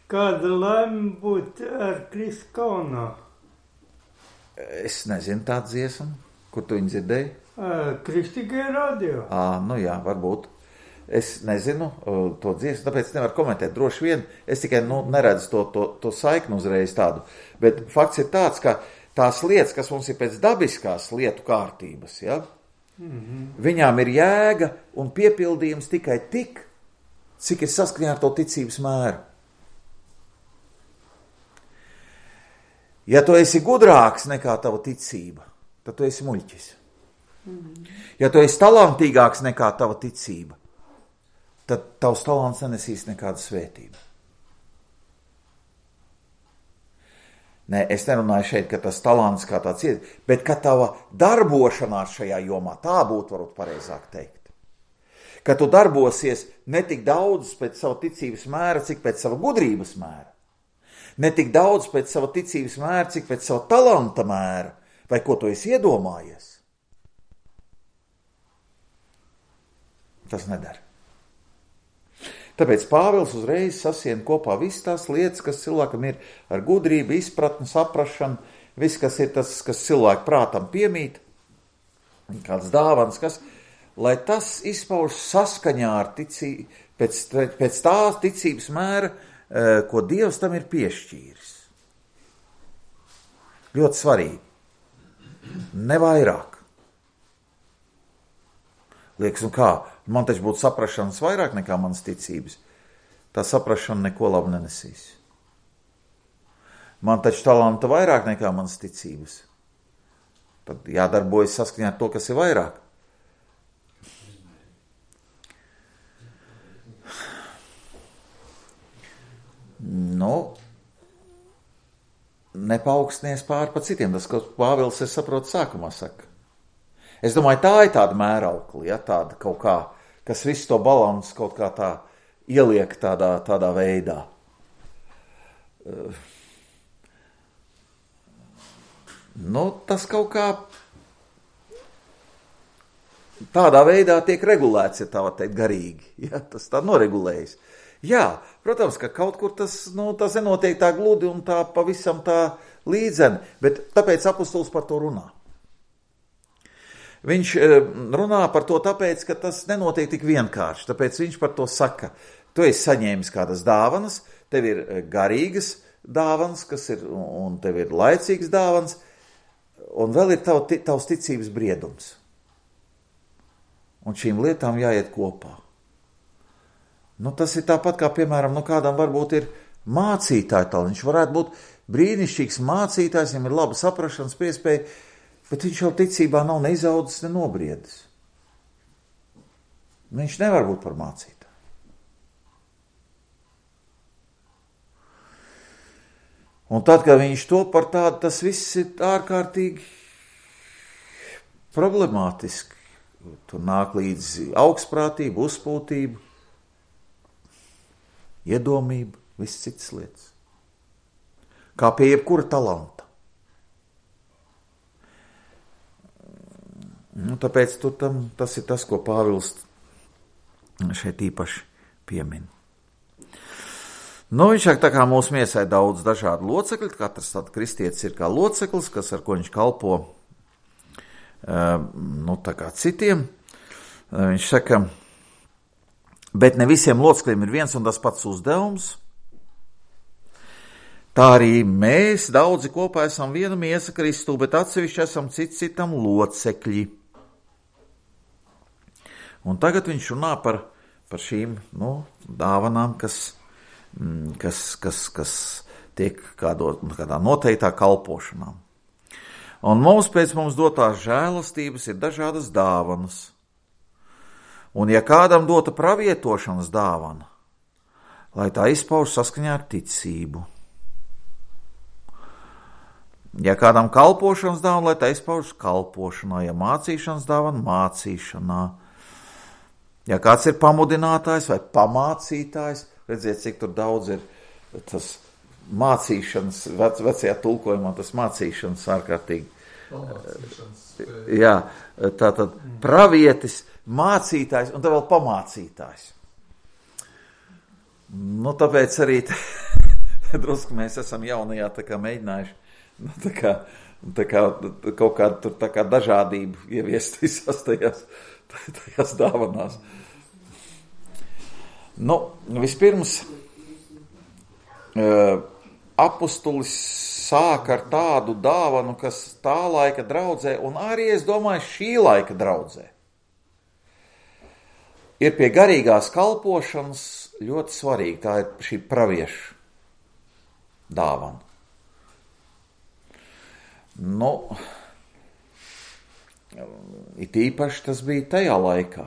kāda laime būt ar Kristu kaunā? Es nezinu tādu dziesmu, kur tu viņu dzirdēji? Kristīgai radio. Ā, nu jā, varbūt. Es nezinu uh, to dziesmu, tāpēc nevaru komentēt. Droši vien, es tikai nu, neredzu to, to, to saiknu uzreiz tādu. Bet fakts ir tāds, ka tās lietas, kas mums ir pēc dabiskās lietu kārtības, ja, mm-hmm. viņām ir jēga un piepildījums tikai tik, cik ir saskaņā ar to ticības mēru. Ja tu esi gudrāks nekā tava ticība, tad tu esi muļķis. Mm-hmm. Ja tu esi talantīgāks nekā tava ticība, tad tavs talants nenesīs nekādu svētību. Nē, es nerunāju šeit, ka tas talants kā tāds ir, bet ka tava darbošanās šajā jomā, tā būtu varbūt pareizāk teikt. Ka tu darbosies ne tik daudz pēc sava ticības mēra, cik pēc sava gudrības mēra. Ne tik daudz pēc sava ticības mēra, cik pēc sava talanta mēra, vai ko tu esi iedomājies. Tas nedara. Tāpēc Pāvils uzreiz sasien kopā visas tās lietas, kas cilvēkam ir ar gudrību, izpratni, saprašanu, viss, kas ir tas, kas cilvēku prātam piemīt, kāds dāvans, kas, lai tas izpauž saskaņā ar ticību, pēc, pēc tās ticības mēra, ko Dievs tam ir piešķīris. Ļoti svarīgi. Ne vairāk. Liekas, un kā, man taču būtu saprašanas vairāk nekā manas ticības. Tā saprašana neko labu nenesīs. Man taču talanta vairāk nekā manas ticības. Tad jādarbojas saskaņā ar to, kas ir vairāk. Nu, nepaaugsties pāri pa citiem. Tas, ko Pāvils, es saprotu, sākumā saka. Es domāju, tā ir tāda mēraukli, ja, tāda kaut kā, kas visu to balansu kaut kā tā ieliek tādā, tādā veidā. Nu, tas kaut kā tādā veidā tiek regulēts, ja tā var teikt, garīgi. Ja, tas tā noregulējas. Jā, protams, ka kaut kur tas, nu, tas nenotiek tā gludi un tā pavisam tā līdzeni, bet tāpēc apostols par to runā. Viņš runā par to tāpēc, ka tas nenotiek tik vienkārši, tāpēc viņš par to saka. Tu esi saņēmis kādas dāvanas, tev ir garīgas dāvanas, kas ir, un tev ir laicīgas dāvanas, un vēl ir tav, tavs ticības briedums. Un šīm lietām jāiet kopā. Nu, tas ir tāpat kā, piemēram, nu, kādam varbūt ir mācītāja talants. Viņš varētu būt brīnišķīgs mācītājs, viņam ir laba saprašanas iespēja, bet viņš jau ticībā nav ne izaudzis, ne nobriedis. Viņš nevar būt par mācītāju. Un tad, kad viņš to par tādu, tas viss ir ārkārtīgi problemātiski. Tur nāk līdzi augstprātība, uzpūtība, iedomība, viss citas lietas. Kā pie jebkura talanta. Nu, tāpēc tur tam, tas ir tas, ko Pāvils šeit īpaši piemin. Nu, viņš saka, tā kā mūsu miesai daudz dažādu locekļu, katrs tāds kristietis ir kā loceklis, kas ar ko viņš kalpo, nu, tā kā citiem. Viņš saka, bet ne visiem locekļiem ir viens un tas pats uzdevums. Tā arī mēs daudzi kopā esam viena miesa Kristu, bet atsevišķi esam cits citam locekļi. Un tagad viņš runā par, par šīm, nu, dāvanām, kas, kas, kas, kas tiek kādo, kādā noteiktā kalpošanā. Un mums pēc mums dotās žēlastības ir dažādas dāvanas. Un ja kādam dota pravietošanas dāvana, lai tā izpauž saskaņā ar ticību. Ja kādam kalpošanas dāvana, lai tā izpauž kalpošanā, ja mācīšanas dāvana, mācīšanā. Ja kāds ir pamudinātājs vai pamācītājs, redziet, cik tur daudz ir tas mācīšanas, vec, vecajā tulkojumā tas mācīšanas ārkārtīgi. Jā, tātad pravietis, mācītājs un tad vēl pamācītājs. Nu, tāpēc arī drusku mēs esam jaunajā tā kā mēģinājuši, nu, tā kā, tā kā kaut kādu tur tā kā dažādību ieviest visās tajās, tajās dāvanās. Nu, vispirms uh, apustulis sāk ar tādu dāvanu, kas tā laika draudzē, un arī, es domāju, šī laika draudzē. Ir pie garīgās kalpošanas ļoti svarīgi, tā ir šī praviešu dāvana. Nu, it īpaši tas bija tajā laikā.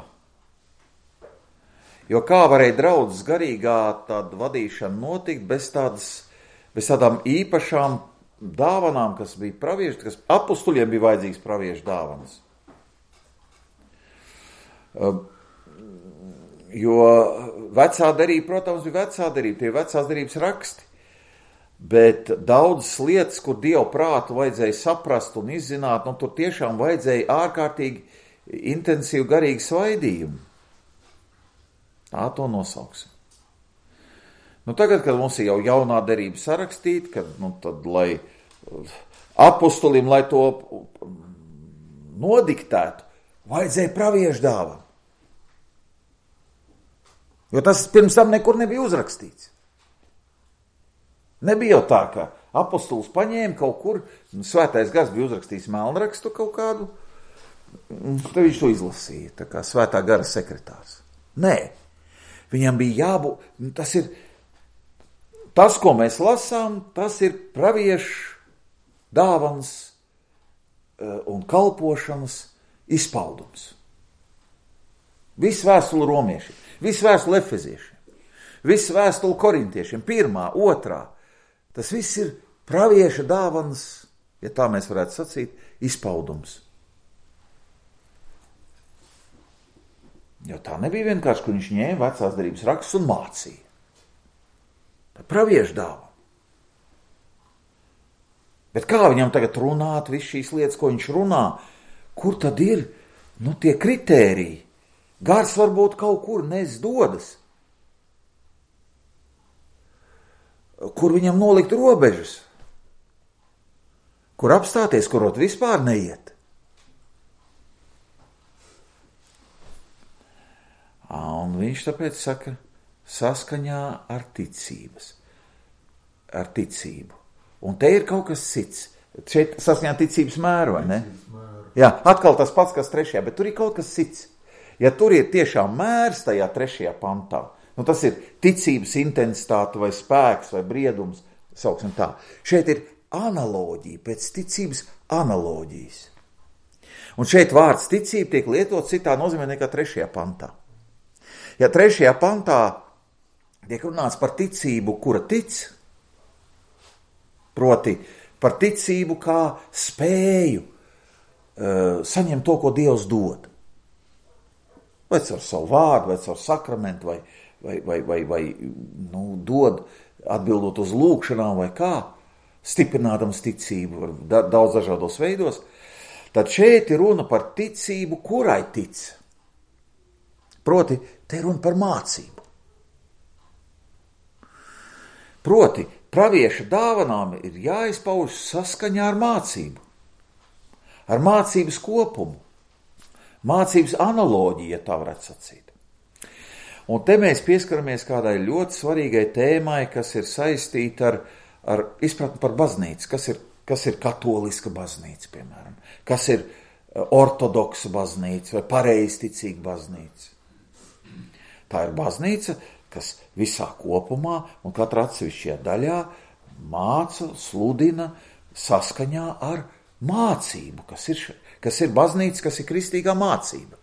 Jo kā varēja draudzes garīgā tāda vadīšana notikt bez tādas, bez tādām īpašām dāvanām, kas bija pravieši, kas apustuļiem bija vajadzīgs praviešu dāvanas. Jo vecā derība, protams, bija vecā derība, tie vecās derības raksti, bet daudzas lietas, kur Dievu prātu vajadzēja saprast un izzināt, nu tur tiešām vajadzēja ārkārtīgi intensīvu garīgu svaidījumu. Tā to nosauksim. Nu, tagad, kad mums ir jau jaunā derība sarakstīta, kad, nu, tad, lai apustulim, lai to nodiktētu, vajadzēja praviešu dāvanu. Jo tas pirms tam nekur nebija uzrakstīts. Nebija jau tā, ka apustulis paņēma kaut kur, svētais gars bija uzrakstījis melnrakstu kaut kādu, tad viņš to izlasīja, tā kā svētā gara sekretārs. Nē, viņam bija jābūt, tas ir, tas, ko mēs lasām, tas ir praviešu dāvans un kalpošanas izpaudums. Viss vēstule romiešiem, viss vēstule efeziešiem, viss vēstule korintiešiem, pirmā, otrā. Tas viss ir pravieša dāvans, ja tā mēs varētu sacīt, izpaudums. Jo tā nebija vienkārši, ka viņš ņēma vecās derības rakstus un mācīja. Tā pravieša dāvana. Bet kā viņam tagad runāt visu šīs lietas, ko viņš runā? Kur tad ir, nu, tie kritēriji? Gars varbūt kaut kur nes dodas. kur viņam nolikt robežas, kur apstāties, kurot vispār neiet. Un viņš tāpēc saka, saskaņā ar ticības, ar ticību. Un te ir kaut kas cits. Šeit saskaņā ticības mēru, vai ne? Jā, atkal tas pats, kas trešajā, bet tur ir kaut kas cits. Ja tur ir tiešām mērs tajā trešajā pantā, nu tas ir ticības intensitāte vai spēks vai briedums, sauksim tā. Šeit ir analoģija, pēc ticības analoģijas. Un šeit vārds ticība tiek lietot citā nozīmē nekā trešajā pantā. Ja trešajā pantā tiek runāts par ticību, kura tic, proti par ticību kā spēju uh, saņemt to, ko Dievs dod. Vai caur savu vārdu, vai caur sakramentu, vai, vai, vai, vai, vai nu, dod atbildot uz lūkšanām, vai kā, stiprinādams ticību daudz dažādos veidos, tad šeit ir runa par ticību, kurai tic. Proti, te ir runa par mācību. Proti, pravieša dāvanām ir jāizpauž saskaņā ar mācību, ar mācības kopumu, mācības analoģiju, ja tā varētu sacīt. Un te mēs pieskaramies kādai ļoti svarīgai tēmai, kas ir saistīta ar, ar izpratni par baznīcu, kas ir, kas ir katoliska baznīca, piemēram, kas ir ortodoksa baznīca vai pareizticīga baznīca. Tā ir baznīca, kas visā kopumā un katrā atsevišķajā daļā māca, sludina saskaņā ar mācību, kas ir, kas ir baznīca, kas ir kristīgā mācība.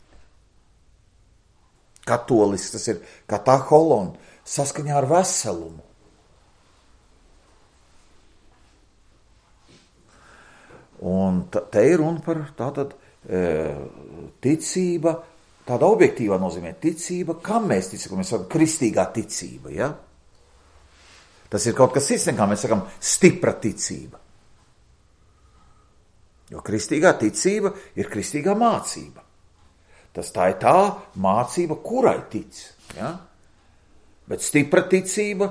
Katolisks, tas ir kataholon, saskaņā ar veselumu. Un te ir runa par tātad e, ticība, tāda objektīvā nozīmē ticība, kam mēs ticam, mēs sakam kristīgā ticība, ja? Tas ir kaut kas cits, nekā mēs sakam stipra ticība. Jo kristīgā ticība ir kristīgā mācība. Tas tā ir tā mācība, kurai tic, ja? Bet stipra ticība,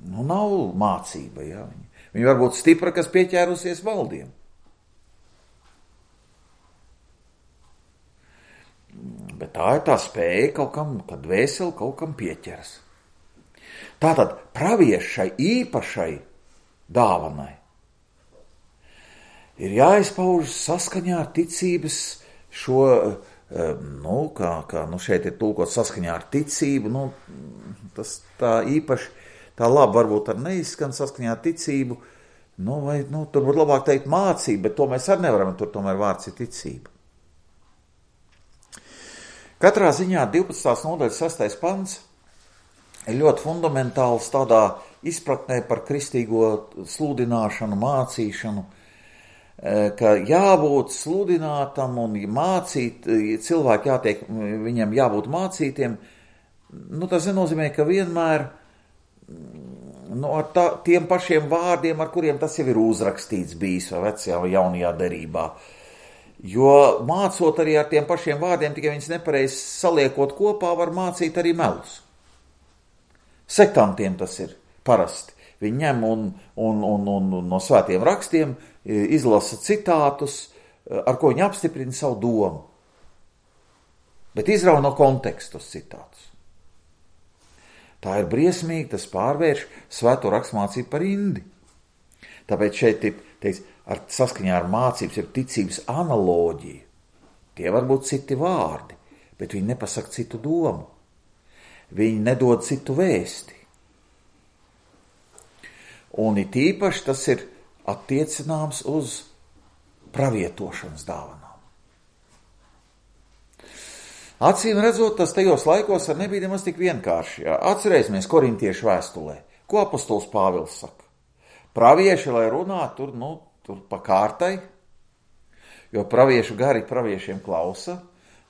nu, nav mācība, ja? Viņa var būt stipra, kas pieķērusies valdiem. Bet tā ir tā spēja kaut kam, kad dvēseli kaut kam pieķeras. Tātad praviešai īpašai dāvanai ir jāizpauž saskaņā ar ticības šo, nu, kā, kā nu šeit ir tulkot saskaņā ar ticību, nu, tas tā īpaši, tā labi varbūt ar neizskan saskaņā ar ticību, nu, vai, nu, tur būtu labāk teikt mācība, bet to mēs arī nevaram, tur tomēr vārds ir ticība. Katrā ziņā divpadsmitās nodaļas sestais pants ir ļoti fundamentāls tādā izpratnē par kristīgo sludināšanu, mācīšanu, ka jābūt sludinātam un mācīt, cilvēki jātiek, viņiem jābūt mācītiem, nu tas nenozīmē, ka vienmēr nu, ar tā, tiem pašiem vārdiem, ar kuriem tas jau ir uzrakstīts bijis vai vecajā vai jaunajā derībā. Jo mācot arī ar tiem pašiem vārdiem, tikai viņus nepareizi saliekot kopā, var mācīt arī melus. Sektantiem tas ir parasti. Viņi ņem un, un, un, un, un no svētiem rakstiem izlasa citātus, ar ko viņi apstiprina savu domu. Bet izrauj no kontekstus citātus. Tā ir briesmīgi, tas pārvērš svēto rakstmācību par indi. Tāpēc šeit ir teiks, ar saskaņā ar mācības ir ticības analoģija. Tie var būt citi vārdi, bet viņi nepasaka citu domu. Viņi nedod citu vēsti. Un it īpaši tas ir attiecināms uz pravietošanas dāvanām. Acīm redzot, tas tajos laikos ar nebija nemaz tik vienkārši. Atcerēsimies korintiešu vēstulē, ko apostols Pāvils saka. Pravieši, lai runā, tur, nu, tur pa kārtai, jo praviešu gari praviešiem klausa,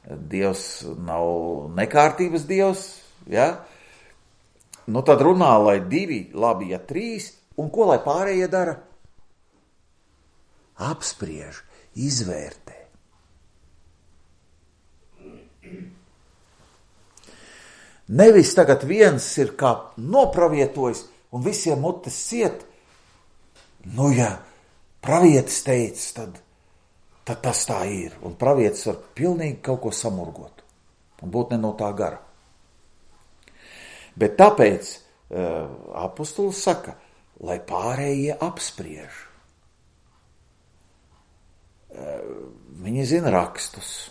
Dievs nav nekārtības Dievs, ja? Nu tad runā, lai divi, labi, ja trīs, un ko lai pārējie dara? Apspriež, izvērtē. Nevis tagad viens ir kā nopravietojis, un visiem mutes ciet. Nu, ja pravietis teica, tad, tad tas tā ir. Un pravietis var pilnīgi kaut ko samurgot un būt ne no tā gara. Bet tāpēc uh, apostols saka, lai pārējie apspriež. Uh, viņi zina rakstus.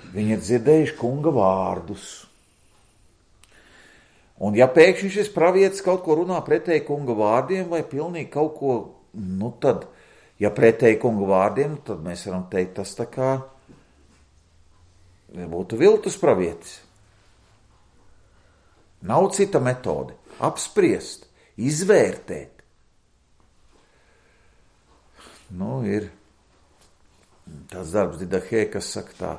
Viņi ir dzirdējuši kunga vārdus. Un ja pēkšņi šis pravietis kaut ko runā pretēji kunga vārdiem vai pilnīgi kaut ko, nu tad, ja pretēji kunga vārdiem, tad mēs varam teikt, tas tā kā būtu viltus pravietis. Nav cita metode. Apspriest, izvērtēt. Nu, ir tāds darbs Didahē, kas saka tā.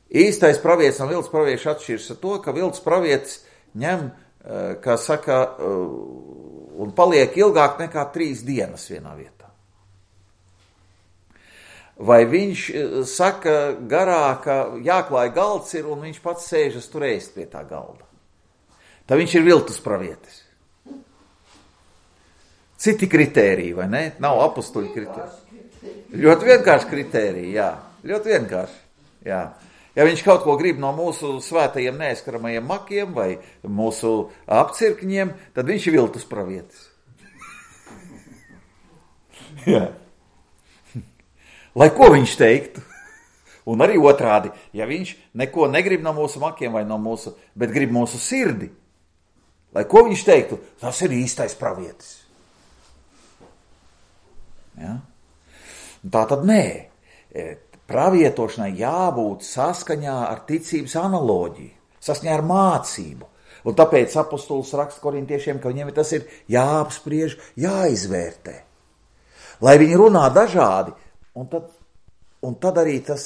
Īstais pravietis un viltus pravietis atšķiras ar to, ka viltus pravietis ņem, kā saka, un paliek ilgāk nekā trīs dienas vienā vietā. Vai viņš saka garā, ka jāklāj galds ir un viņš pats sēžas tur ēst pie tā galda. Tā viņš ir viltus pravietis. Citi kritēriji, vai ne? Nav apustuļu kritēriji. Ļoti vienkārši kritēriji, jā. Ļoti vienkārši, jā. Ja viņš kaut ko grib no mūsu svētajiem neaizskaramajiem makiem vai mūsu apcirkņiem, tad viņš ir viltus pravietis. Jā. Lai ko viņš teiktu? Un arī otrādi, ja viņš neko negrib no mūsu makiem vai no mūsu, bet grib mūsu sirdi, lai ko viņš teiktu, tas ir īstais pravietis. Ja? Tā tad nē. Pravietošanai jābūt saskaņā ar ticības analoģiju, saskaņā ar mācību. Un tāpēc apostols raksta korintiešiem, ka viņiem tas ir jāapspriež, jāizvērtē. Lai viņi runā dažādi, un tad, un tad arī tas,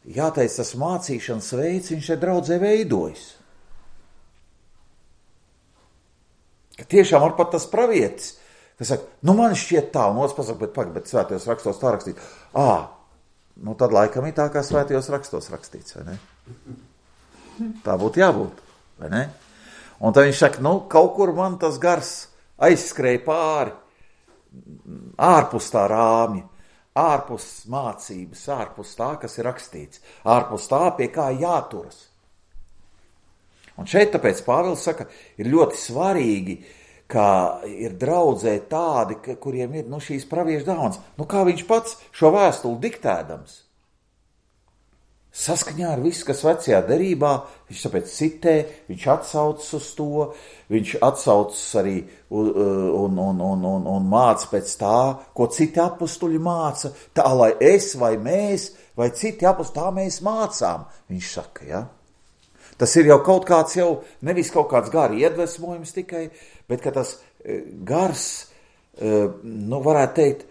jāteic, tas mācīšanas veids, viņš šeit draudzē veidojas. Ka tiešām var pat tas pravietis, kas saka, nu man šķiet tā, un otrs pasaka, bet pag, bet svētajos rakstos tā rakstīt. Ā, nu tad laikam ir tā, kā svētajos rakstos rakstīts, vai ne? Tā būtu jābūt, vai ne? Un tad viņš saka, nu kaut kur man tas gars aizskrēja pāri, ārpus tā rāmja, ārpus mācības, ārpus tā, kas ir rakstīts, ārpus tā, pie kā jāturas. Un šeit tāpēc Pāvils saka, ir ļoti svarīgi, ka ir draudzē tādi, kuriem ir nu, šīs praviešu dāvanas. Nu, kā viņš pats šo vēstuli diktēdams? Saskaņā ar visu, kas vecajā derībā, viņš tāpēc citē, viņš atsaucas uz to, viņš atsaucas arī un, un, un, un, un, un māca pēc tā, ko citi apustuļi māca, tā lai es vai mēs, vai citi apustuļi, tā mēs mācām, viņš saka, ja? Tas ir jau kaut kāds jau, nevis kaut kāds gari iedvesmojums tikai, bet ka tas gars, nu varētu teikt,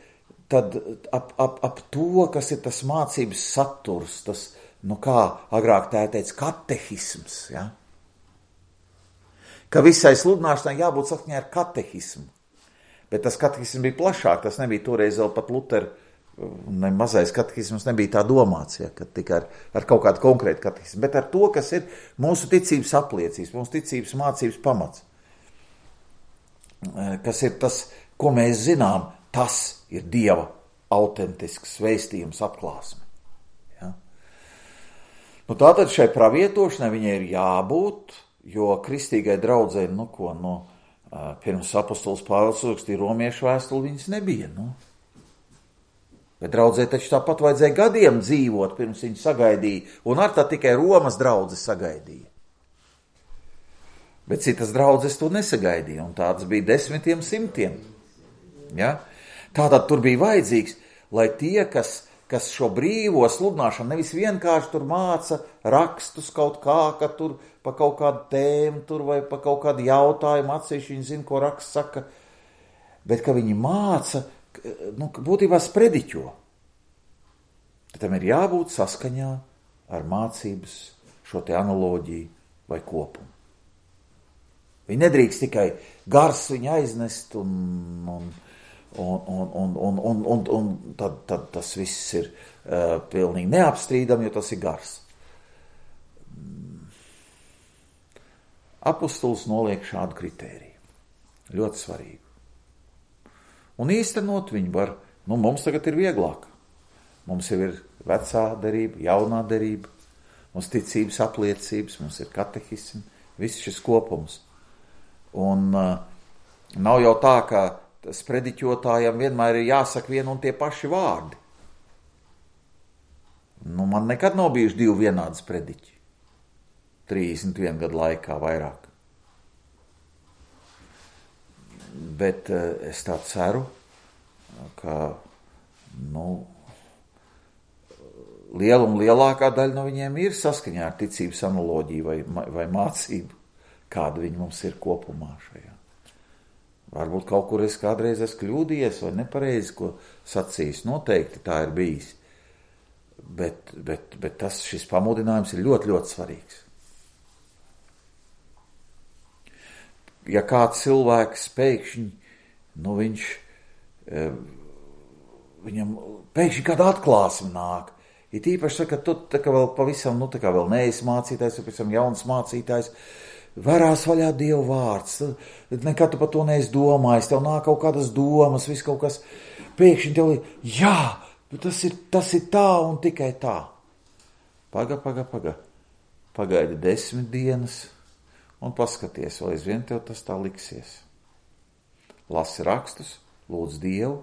tad ap, ap, ap to, kas ir tas mācības saturs, tas, nu kā agrāk tā teica, katehisms, ja? Ka visai sludināšanai jābūt sakņā ar katehismu. Bet tas katehisms bija plašāk, tas nebija toreiz vēl pat Luter, ne mazais katehisms nebija tā domāts, ja, ka tikai ar, ar kaut kādu konkrētu katehismu, bet ar to, kas ir mūsu ticības apliecības, mūsu ticības mācības pamats. Kas ir tas, ko mēs zinām, tas ir Dieva autentisks vēstījums atklāsme. Ja? Nu, tātad šai pravietošanai viņai ir jābūt, jo kristīgai draudzei, nu ko, nu, pirms apostols Pāvils rakstīja romiešu vēstuli, viņas nebija, nu. Bet draudzē taču tāpat vajadzēja gadiem dzīvot, pirms viņi sagaidīja, un ar tā tikai Romas draudze sagaidīja. Bet citas draudzes to nesagaidīja, un tādas bija desmitiem simtiem. Ja? Tātad tur bija vajadzīgs, lai tie, kas, kas šo brīvo sludināšanu nevis vienkārši tur māca rakstus kaut kā, ka tur pa kaut kādu tēmu tur vai pa kaut kādu jautājumu atsevišķi viņi zina, ko raksts saka, bet ka viņi māca, nu, būtībā sprediķo. Tam ir jābūt saskaņā ar mācības šo te analoģiju vai kopumu. Viņi nedrīkst tikai gars viņu aiznest un, un, un, un, un, un, un, un, un tad, tad tas viss ir uh, pilnīgi neapstrīdam, jo tas ir gars. Apostols noliek šādu kritēriju. Ļoti svarīgu. Un īstenot viņu var, nu mums tagad ir vieglāk. Mums jau ir vecā derība, jaunā derība, mums ticības apliecības, mums ir katehismi, viss šis kopums. Un uh, nav jau tā, ka sprediķotājam vienmēr ir jāsaka vien un tie paši vārdi. Nu, man nekad nav bijuši divi vienādi sprediķi. trīsdesmit vienu gadu laikā vairāk. Bet uh, es tā ceru, ka, nu, liela un lielākā daļa no viņiem ir saskaņā ar ticības analoģiju vai, vai mācību, kāda viņi mums ir kopumā šajā. Varbūt kaut kur es kādreiz esmu kļūdījies vai nepareizi, ko sacījis. Noteikti tā ir bijis. Bet, bet, bet tas, šis pamudinājums ir ļoti, ļoti svarīgs. Ja kāds cilvēks pēkšņi, nu viņš, viņam pēkšņi kāda atklāsme nāk, ir īpaši, ka tu tā kā vēl pavisam, nu tā kā vēl neesi mācītājs, pavisam jauns mācītājs, varās vaļā Dievu vārds, nekad tu par to neesi domājis, tev nāk kaut kādas domas, viss kaut kas, pēkšņi tev ir, jā, tas ir, tas ir tā un tikai tā. Paga, paga, paga, pagaidi desmit dienas un paskaties, vai aizvien tev tas tā liksies. Lasi rakstus, lūdz Dievu,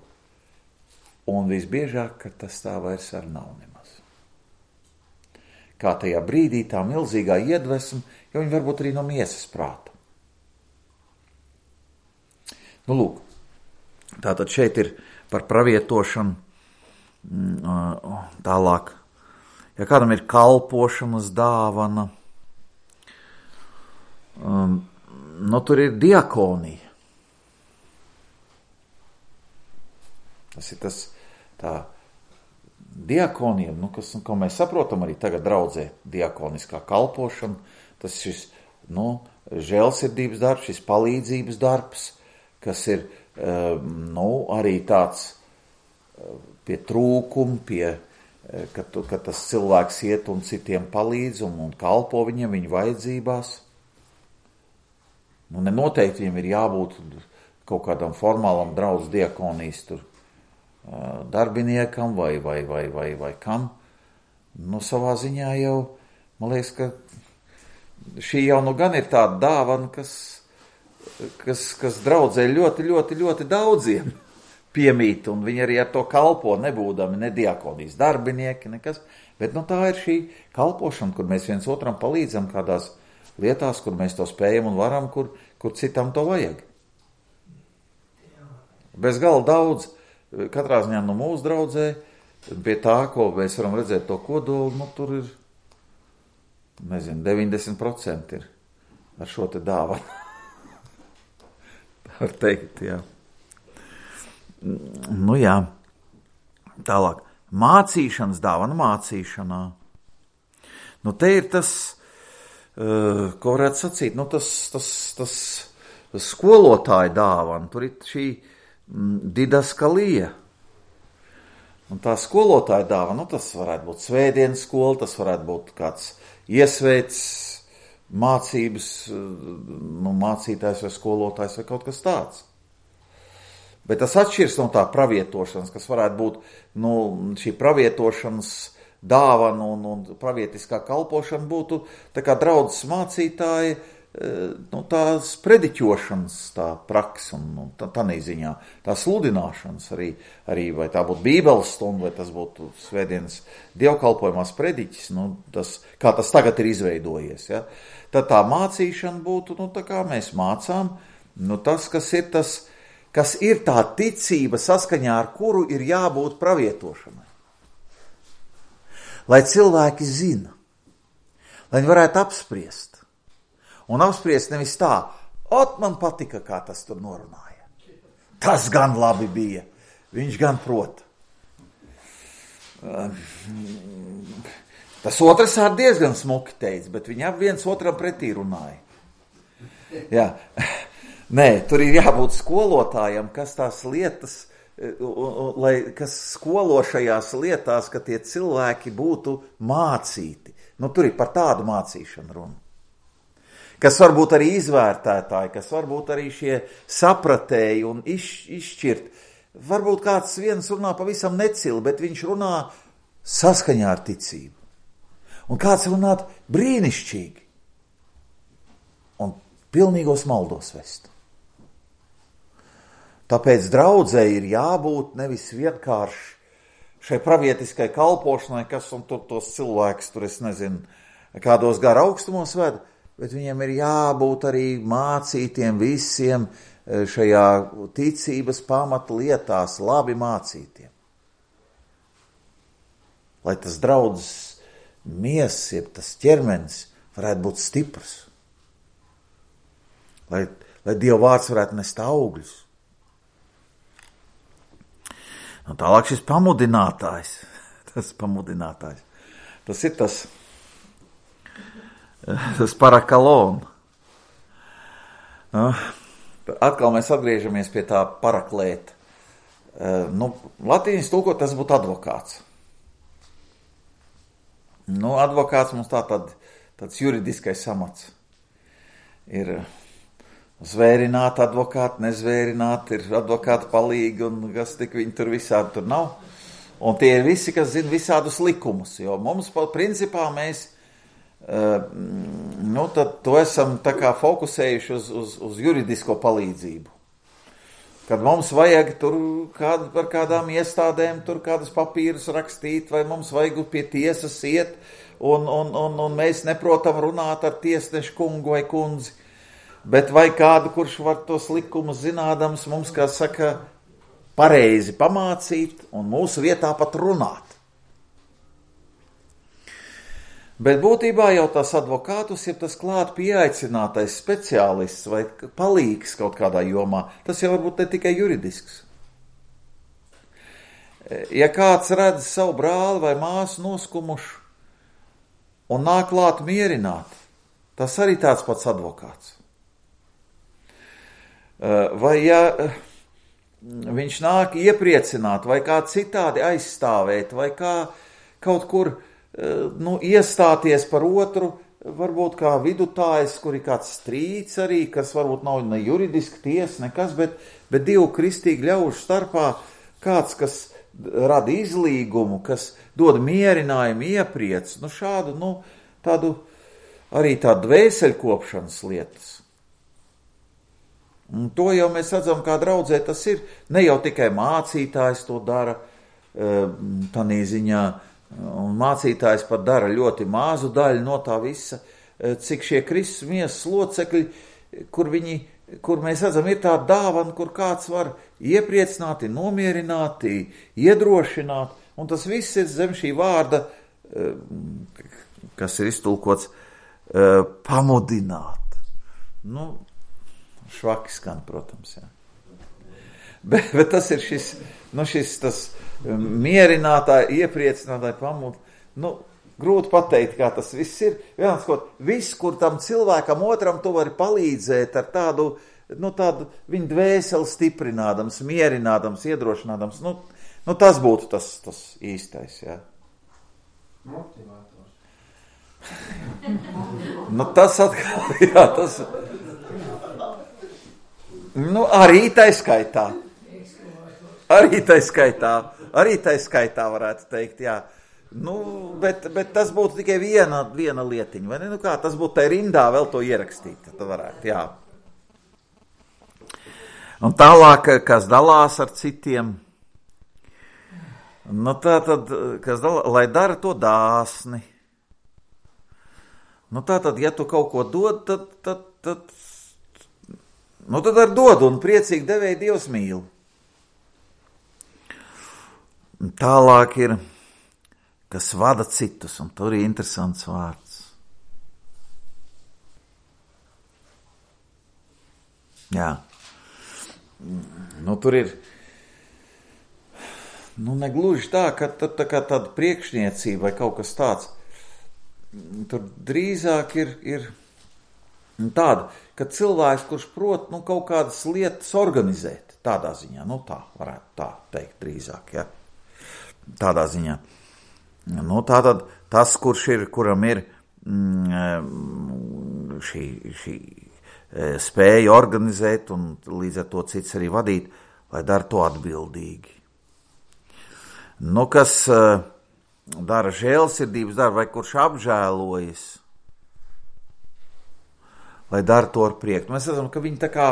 un visbiežāk, ka tas tā vairs ar nav nemaz. Kā tajā brīdī tā milzīgā iedvesma, jo viņi varbūt arī no miesas prāta. Nu, lūk, tātad šeit ir par pravietošanu tālāk. Ja kādam ir kalpošanas dāvana, um, nu, tur ir diakonija. Tas ir tas, tā, diakonija, nu, kas, ko mēs saprotam arī tagad draudzē, diakoniskā kalpošana, tas ir šis, nu, žēlsirdības darbs, šis palīdzības darbs, kas ir, nu, arī tāds pie trūkuma, pie, ka, tu, ka tas cilvēks iet un citiem palīdz un, un kalpo viņiem viņu vajadzībās. Nu, nenoteikti viņam ir jābūt kaut kādam formālam draudz diakonijas tur darbiniekam vai, vai, vai, vai, vai kam. Nu, savā ziņā jau, man liekas, ka šī jau nu gan ir tāda dāvana, kas, kas, kas draudzē ļoti, ļoti, ļoti daudziem piemīt, un viņi arī ar to kalpo, nebūdami ne diakonijas darbinieki, nekas. Bet nu, tā ir šī kalpošana, kur mēs viens otram palīdzam kādās lietās, kur mēs to spējam un varam, kur, kur citam to vajag. Bez gala daudz. Katrā ziņā no mūsu draudzē, pie tā, ko mēs varam redzēt to kodolu, nu tur ir, nezinu, deviņdesmit procenti ir ar šo te dāvanu. Tā var teikt, jā. Nu jā, tālāk. Mācīšanas dāvana mācīšanā. Nu te ir tas, uh, ko varētu sacīt, nu tas, tas, tas, tas skolotāja dāvana, tur ir šī didaskalija. Un tā skolotāja dāvana, nu tas varētu būt svētdienas skola, tas varētu būt kāds iesvēts mācības, nu, mācītājs vai skolotājs vai kaut kas tāds. Bet tas atšķirs no tā pravietošanas, kas varētu būt, nu, šī pravietošanas dāvana un, un pravietiskā kalpošana būtu tā kā draudzes mācītāji, nu, tās prediķošanas tā praksa un, un tā, tā neziņā, tā sludināšanas arī, arī, vai tā būtu bībeles stunda, vai tas būtu svētdienas dievkalpojumās prediķis, nu, tas, kā tas tagad ir izveidojies, ja? Tad tā mācīšana būtu, nu, tā kā mēs mācām, nu, tas, kas ir tas, kas ir tā ticība saskaņā, ar kuru ir jābūt pravietošanai. Lai cilvēki zina, lai viņi varētu apspriest. Un apspriest nevis tā, ot man patika, kā tas tur norunāja. Tas gan labi bija, viņš gan prot. Tas otrs ar diezgan smuki teica, bet viņi ap viens otram pretī runāja. Jā. Nē, tur ir jābūt skolotājam, kas tās lietas, lai, kas skolo šajās lietās, ka tie cilvēki būtu mācīti. Nu, tur ir par tādu mācīšanu runa. kas varbūt arī izvērtētāji, kas varbūt arī šie sapratēji un iz, izšķirt. Varbūt kāds viens runā pavisam necili, bet viņš runā saskaņā ar ticību. Un kāds runā brīnišķīgi un pilnīgos maldos vest. Tāpēc draudzei ir jābūt nevis vienkārši šai pravietiskai kalpošanai, kas un tur tos cilvēkus, tur es nezinu, kādos gara augstumos ved, bet viņiem ir jābūt arī mācītiem visiem šajā ticības pamata lietās, labi mācītiem. Lai tas draudzes miesas, jeb tas ķermenis varētu būt stiprs. Lai, lai Dieva vārds varētu nest augļus. Un tālāk šis pamudinātājs, tas pamudinātājs, tas ir tas, tas parakalon. Nu, atkal mēs atgriežamies pie tā paraklēta. Nu, latīņas tulkot tas būtu advokāts. Nu, advokāts mums tā tad, tāds juridiskais amats. Ir zvērināti advokāti, nezvērināti, ir advokāti palīgi un kas tik viņi tur visādi tur nav. Un tie ir visi, kas zina visādus likumus, jo mums principā mēs, nu tad to esam tā kā fokusējuši uz, uz, uz juridisko palīdzību. Kad mums vajag tur kādu, par kādām iestādēm, tur kādus papīrus rakstīt, vai mums vajag pie tiesas iet, un, un, un, un mēs neprotam runāt ar tiesnešu kungu vai kundzi. Bet vai kādu, kurš var tos likumus zinādams, mums, kā saka, pareizi pamācīt un mūsu vietā pat runāt. Bet būtībā jau tas advokātus ir tas klāt pieaicinātais speciālists vai palīgs kaut kādā jomā. Tas jau varbūt ne tikai juridisks. Ja kāds redz savu brāli vai māsu noskumušu un nāk klāt mierināt, tas arī tāds pats advokāts. Vai ja viņš nāk iepriecināt, vai kā citādi aizstāvēt, vai kā kaut kur nu, iestāties par otru, varbūt kā vidutājs, kur ir kāds strīds arī, kas varbūt nav ne juridiski tiesa, nekas, bet, bet divu kristīgi ļaužu starpā kāds, kas rada izlīgumu, kas dod mierinājumu, iepriec, nu šādu, nu, tādu, arī tādu dvēseļkopšanas lietas. Un to jau mēs redzam, kā draudzē tas ir. Ne jau tikai mācītājs to dara, tanī ziņā, un mācītājs pat dara ļoti mazu daļu no tā visa, cik šie Kristus miesas locekļi, kur viņi, kur mēs redzam, ir tā dāvana, kur kāds var iepriecināti, nomierināti, iedrošināt, un tas viss ir zem šī vārda, kas ir iztulkots, pamudināt. Nu, švaki skan, protams, jā. Bet, bet tas ir šis, nu šis tas mierinātāji, iepriecinātāji pamud. Nu, grūti pateikt, kā tas viss ir. Vienāds, ko viss, kur tam cilvēkam otram tu vari palīdzēt ar tādu, nu tādu viņu dvēseli stiprinādams, mierinādams, iedrošinādams, nu, nu tas būtu tas, tas īstais, jā. Motivators. Nu tas atkal, jā, tas... Nu, arī tai skaitā. Arī tai skaitā. Arī tai skaitā varētu teikt, jā. Nu, bet, bet tas būtu tikai viena, viena lietiņa, vai ne? Nu kā, tas būtu tai rindā vēl to ierakstīt, tad varētu, jā. Un tālāk, kas dalās ar citiem, nu tā tad, kas dalās, lai dara to dāsni. Nu tā tad, ja tu kaut ko dod, tad, tad, tad nu tad ar dodu un priecīgi devēji Dievs mīl. Tālāk ir, kas vada citus, un tur ir interesants vārds. Jā. Nu tur ir, nu negluži tā, ka tā, tā kā tāda priekšniecība vai kaut kas tāds. Tur drīzāk ir, ir tāda, ka cilvēks, kurš prot, nu, kaut kādas lietas organizēt, tādā ziņā, nu, tā varētu tā teikt drīzāk, ja, tādā ziņā. Nu, tātad tas, kurš ir, kuram ir mm, šī, šī spēja organizēt un līdz ar to cits arī vadīt, lai dara to atbildīgi. Nu, kas dara žēlsirdības darbu vai kurš apžēlojas, lai dara to ar prieku. Mēs redzam, ka viņi tā kā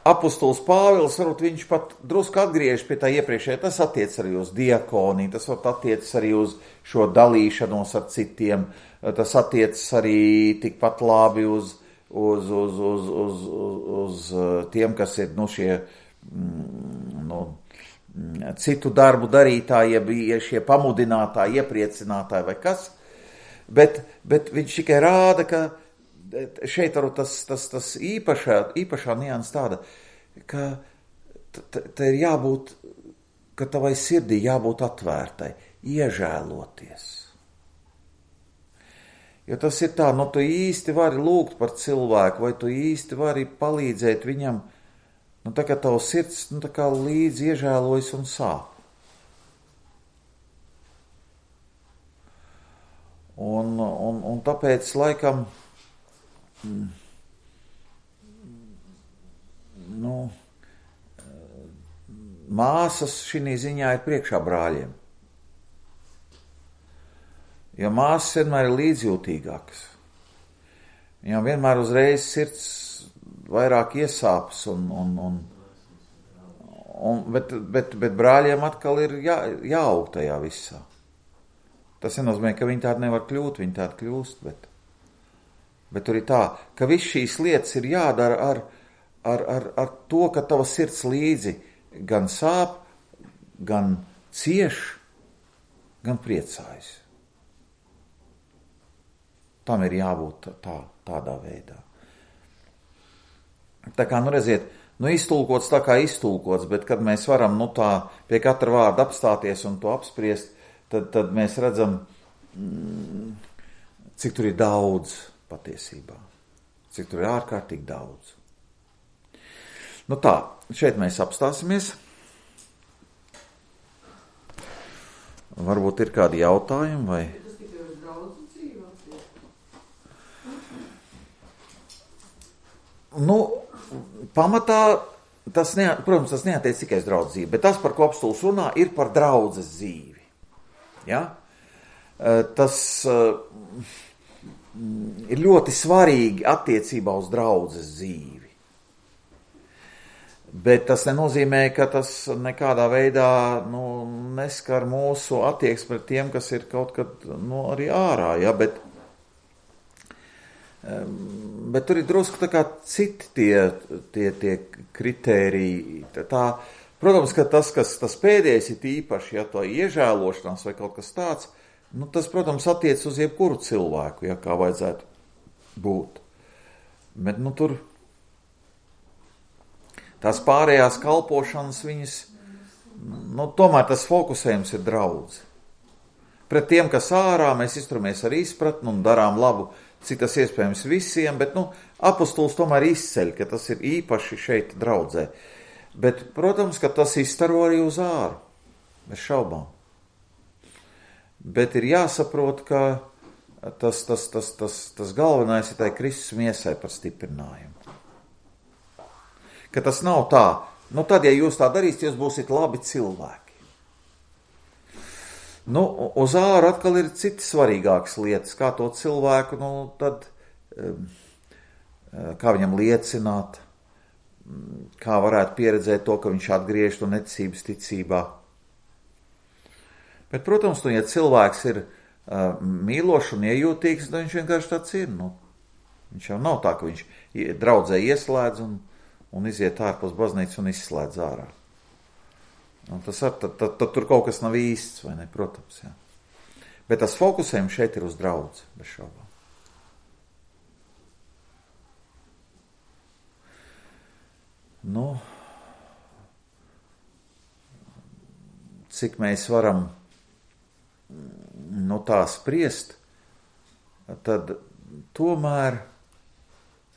apostols Pāvils, varbūt viņš pat drusku atgriež pie tā iepriekšējā, tas attiec arī uz diakoniju, tas varbūt attiec arī uz šo dalīšanos ar citiem, tas attiec arī tikpat labi uz, uz, uz, uz, uz, uz, uz tiem, kas ir nu, šie nu, citu darbu darītāji, ja šie pamudinātāji, iepriecinātāji vai kas, bet, bet viņš tikai rāda, ka šeit varbūt tas, tas, tas īpašā, īpašā nianses tāda, ka te ir jābūt, ka tavai sirdī jābūt atvērtai, iežēloties. Jo tas ir tā, nu tu īsti vari lūgt par cilvēku, vai tu īsti vari palīdzēt viņam, nu tā kā tavs sirds, nu tā kā līdz iežēlojas un sāp. Un, un, un tāpēc laikam nu, māsas šī ziņā ir priekšā brāļiem. Jo māsas vienmēr ir līdzjūtīgākas. Viņām vienmēr uzreiz sirds vairāk iesāpas, un, un, un, un, bet, bet, bet brāļiem atkal ir jā, jāaug tajā visā. Tas nenozīmē, ka viņi tādi nevar kļūt, viņi tādi kļūst, bet Bet tur ir tā, ka viss šīs lietas ir jādara ar, ar, ar, ar to, ka tava sirds līdzi gan sāp, gan cieš, gan priecājas. Tam ir jābūt tā, tādā veidā. Tā kā, nu redziet, nu iztulkots tā kā iztulkots, bet kad mēs varam, nu tā, pie katra vārda apstāties un to apspriest, tad, tad mēs redzam, mm, cik tur ir daudz patiesībā. Cik tur ir ārkārtīgi daudz. Nu tā, šeit mēs apstāsimies. Varbūt ir kādi jautājumi vai... Tas tikai uz draudzu dzīvē? Nu, pamatā, tas ne, protams, tas neatiec tikai uz draudzu dzīvi, bet tas, par ko apostols runā, ir par draudzes dzīvi. Ja? Tas... ir ļoti svarīgi attiecībā uz draudzes dzīvi. Bet tas nenozīmē, ka tas nekādā veidā nu, neskar mūsu attieksmi pret tiem, kas ir kaut kad nu, arī ārā. Ja? Bet, bet tur ir drusku tā kā citi tie, tie, tie kritēriji. Tā, protams, ka tas, kas tas pēdējais ir īpaši, ja to iežēlošanās vai kaut kas tāds, nu, tas, protams, attiec uz jebkuru cilvēku, ja kā vajadzētu būt. Bet, nu, tur tās pārējās kalpošanas viņas, nu, tomēr tas fokusējums ir draudze. Pret tiem, kas ārā, mēs izturamies ar izpratni un darām labu, cik tas iespējams visiem, bet, nu, apostols tomēr izceļ, ka tas ir īpaši šeit draudzē. Bet, protams, ka tas izstaro arī uz āru, bez šaubām. Bet ir jāsaprot, ka tas, tas, tas, tas, tas galvenais ir tai Kristus miesai par stiprinājumu. Ka tas nav tā, nu tad, ja jūs tā darīsiet, jūs būsiet labi cilvēki. Nu, uz āru atkal ir citas svarīgākas lietas, kā to cilvēku, nu tad, kā viņam liecināt, kā varētu pieredzēt to, ka viņš atgriež to neticības ticībā. Bet, protams, nu, ja cilvēks ir uh, mīlošs un iejūtīgs, tad viņš vienkārši tāds ir. Nu. Viņš jau nav tā, ka viņš draudzē ieslēdz un, un iziet ārpus baznīcas un izslēdz ārā. Un tas ar, tad, tad, tad tur kaut kas nav īsts, vai ne? Protams, jā. Bet tas fokusējums šeit ir uz draudzi, bez šaubām. Nu, cik mēs varam no tā spriest, tad tomēr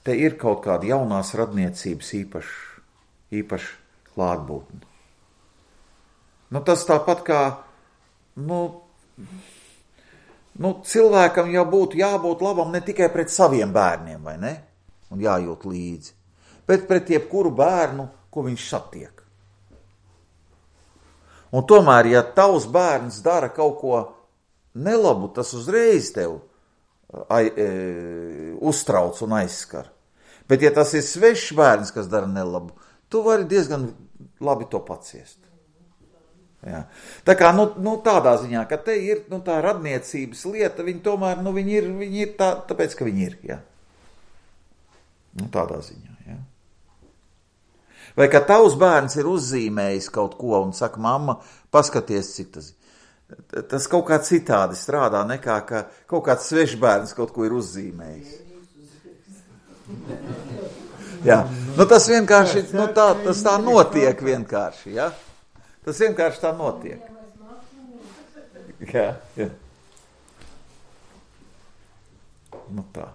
te ir kaut kāda jaunās radniecības īpaša, īpaša klātbūtne. Nu, tas tāpat kā, nu, nu, cilvēkam jau būtu jābūt labam ne tikai pret saviem bērniem, vai ne? Un jājūt līdzi, bet pret jebkuru bērnu, ko viņš satiek. Un tomēr, ja tavs bērns dara kaut ko nelabu, tas uzreiz tev ai, e, uztrauc un aizskar. Bet ja tas ir svešs bērns, kas dara nelabu, tu vari diezgan labi to paciest. Jā. Tā kā, nu, nu tādā ziņā, ka te ir, nu, tā radniecības lieta, viņi tomēr, nu, viņi ir, viņi ir tā, tāpēc, ka viņi ir, jā. Nu, tādā ziņā, jā. Vai ka tavs bērns ir uzzīmējis kaut ko un saka, mamma, paskaties, cik tas ir. Tas kaut kā citādi strādā, nekā, ka kaut kāds svešs bērns kaut ko ir uzzīmējis. Jā, nu, tas vienkārši, nu, tā, tas tā notiek vienkārši, jā. Tas vienkārši tā notiek. Jā, jā. Nu tā.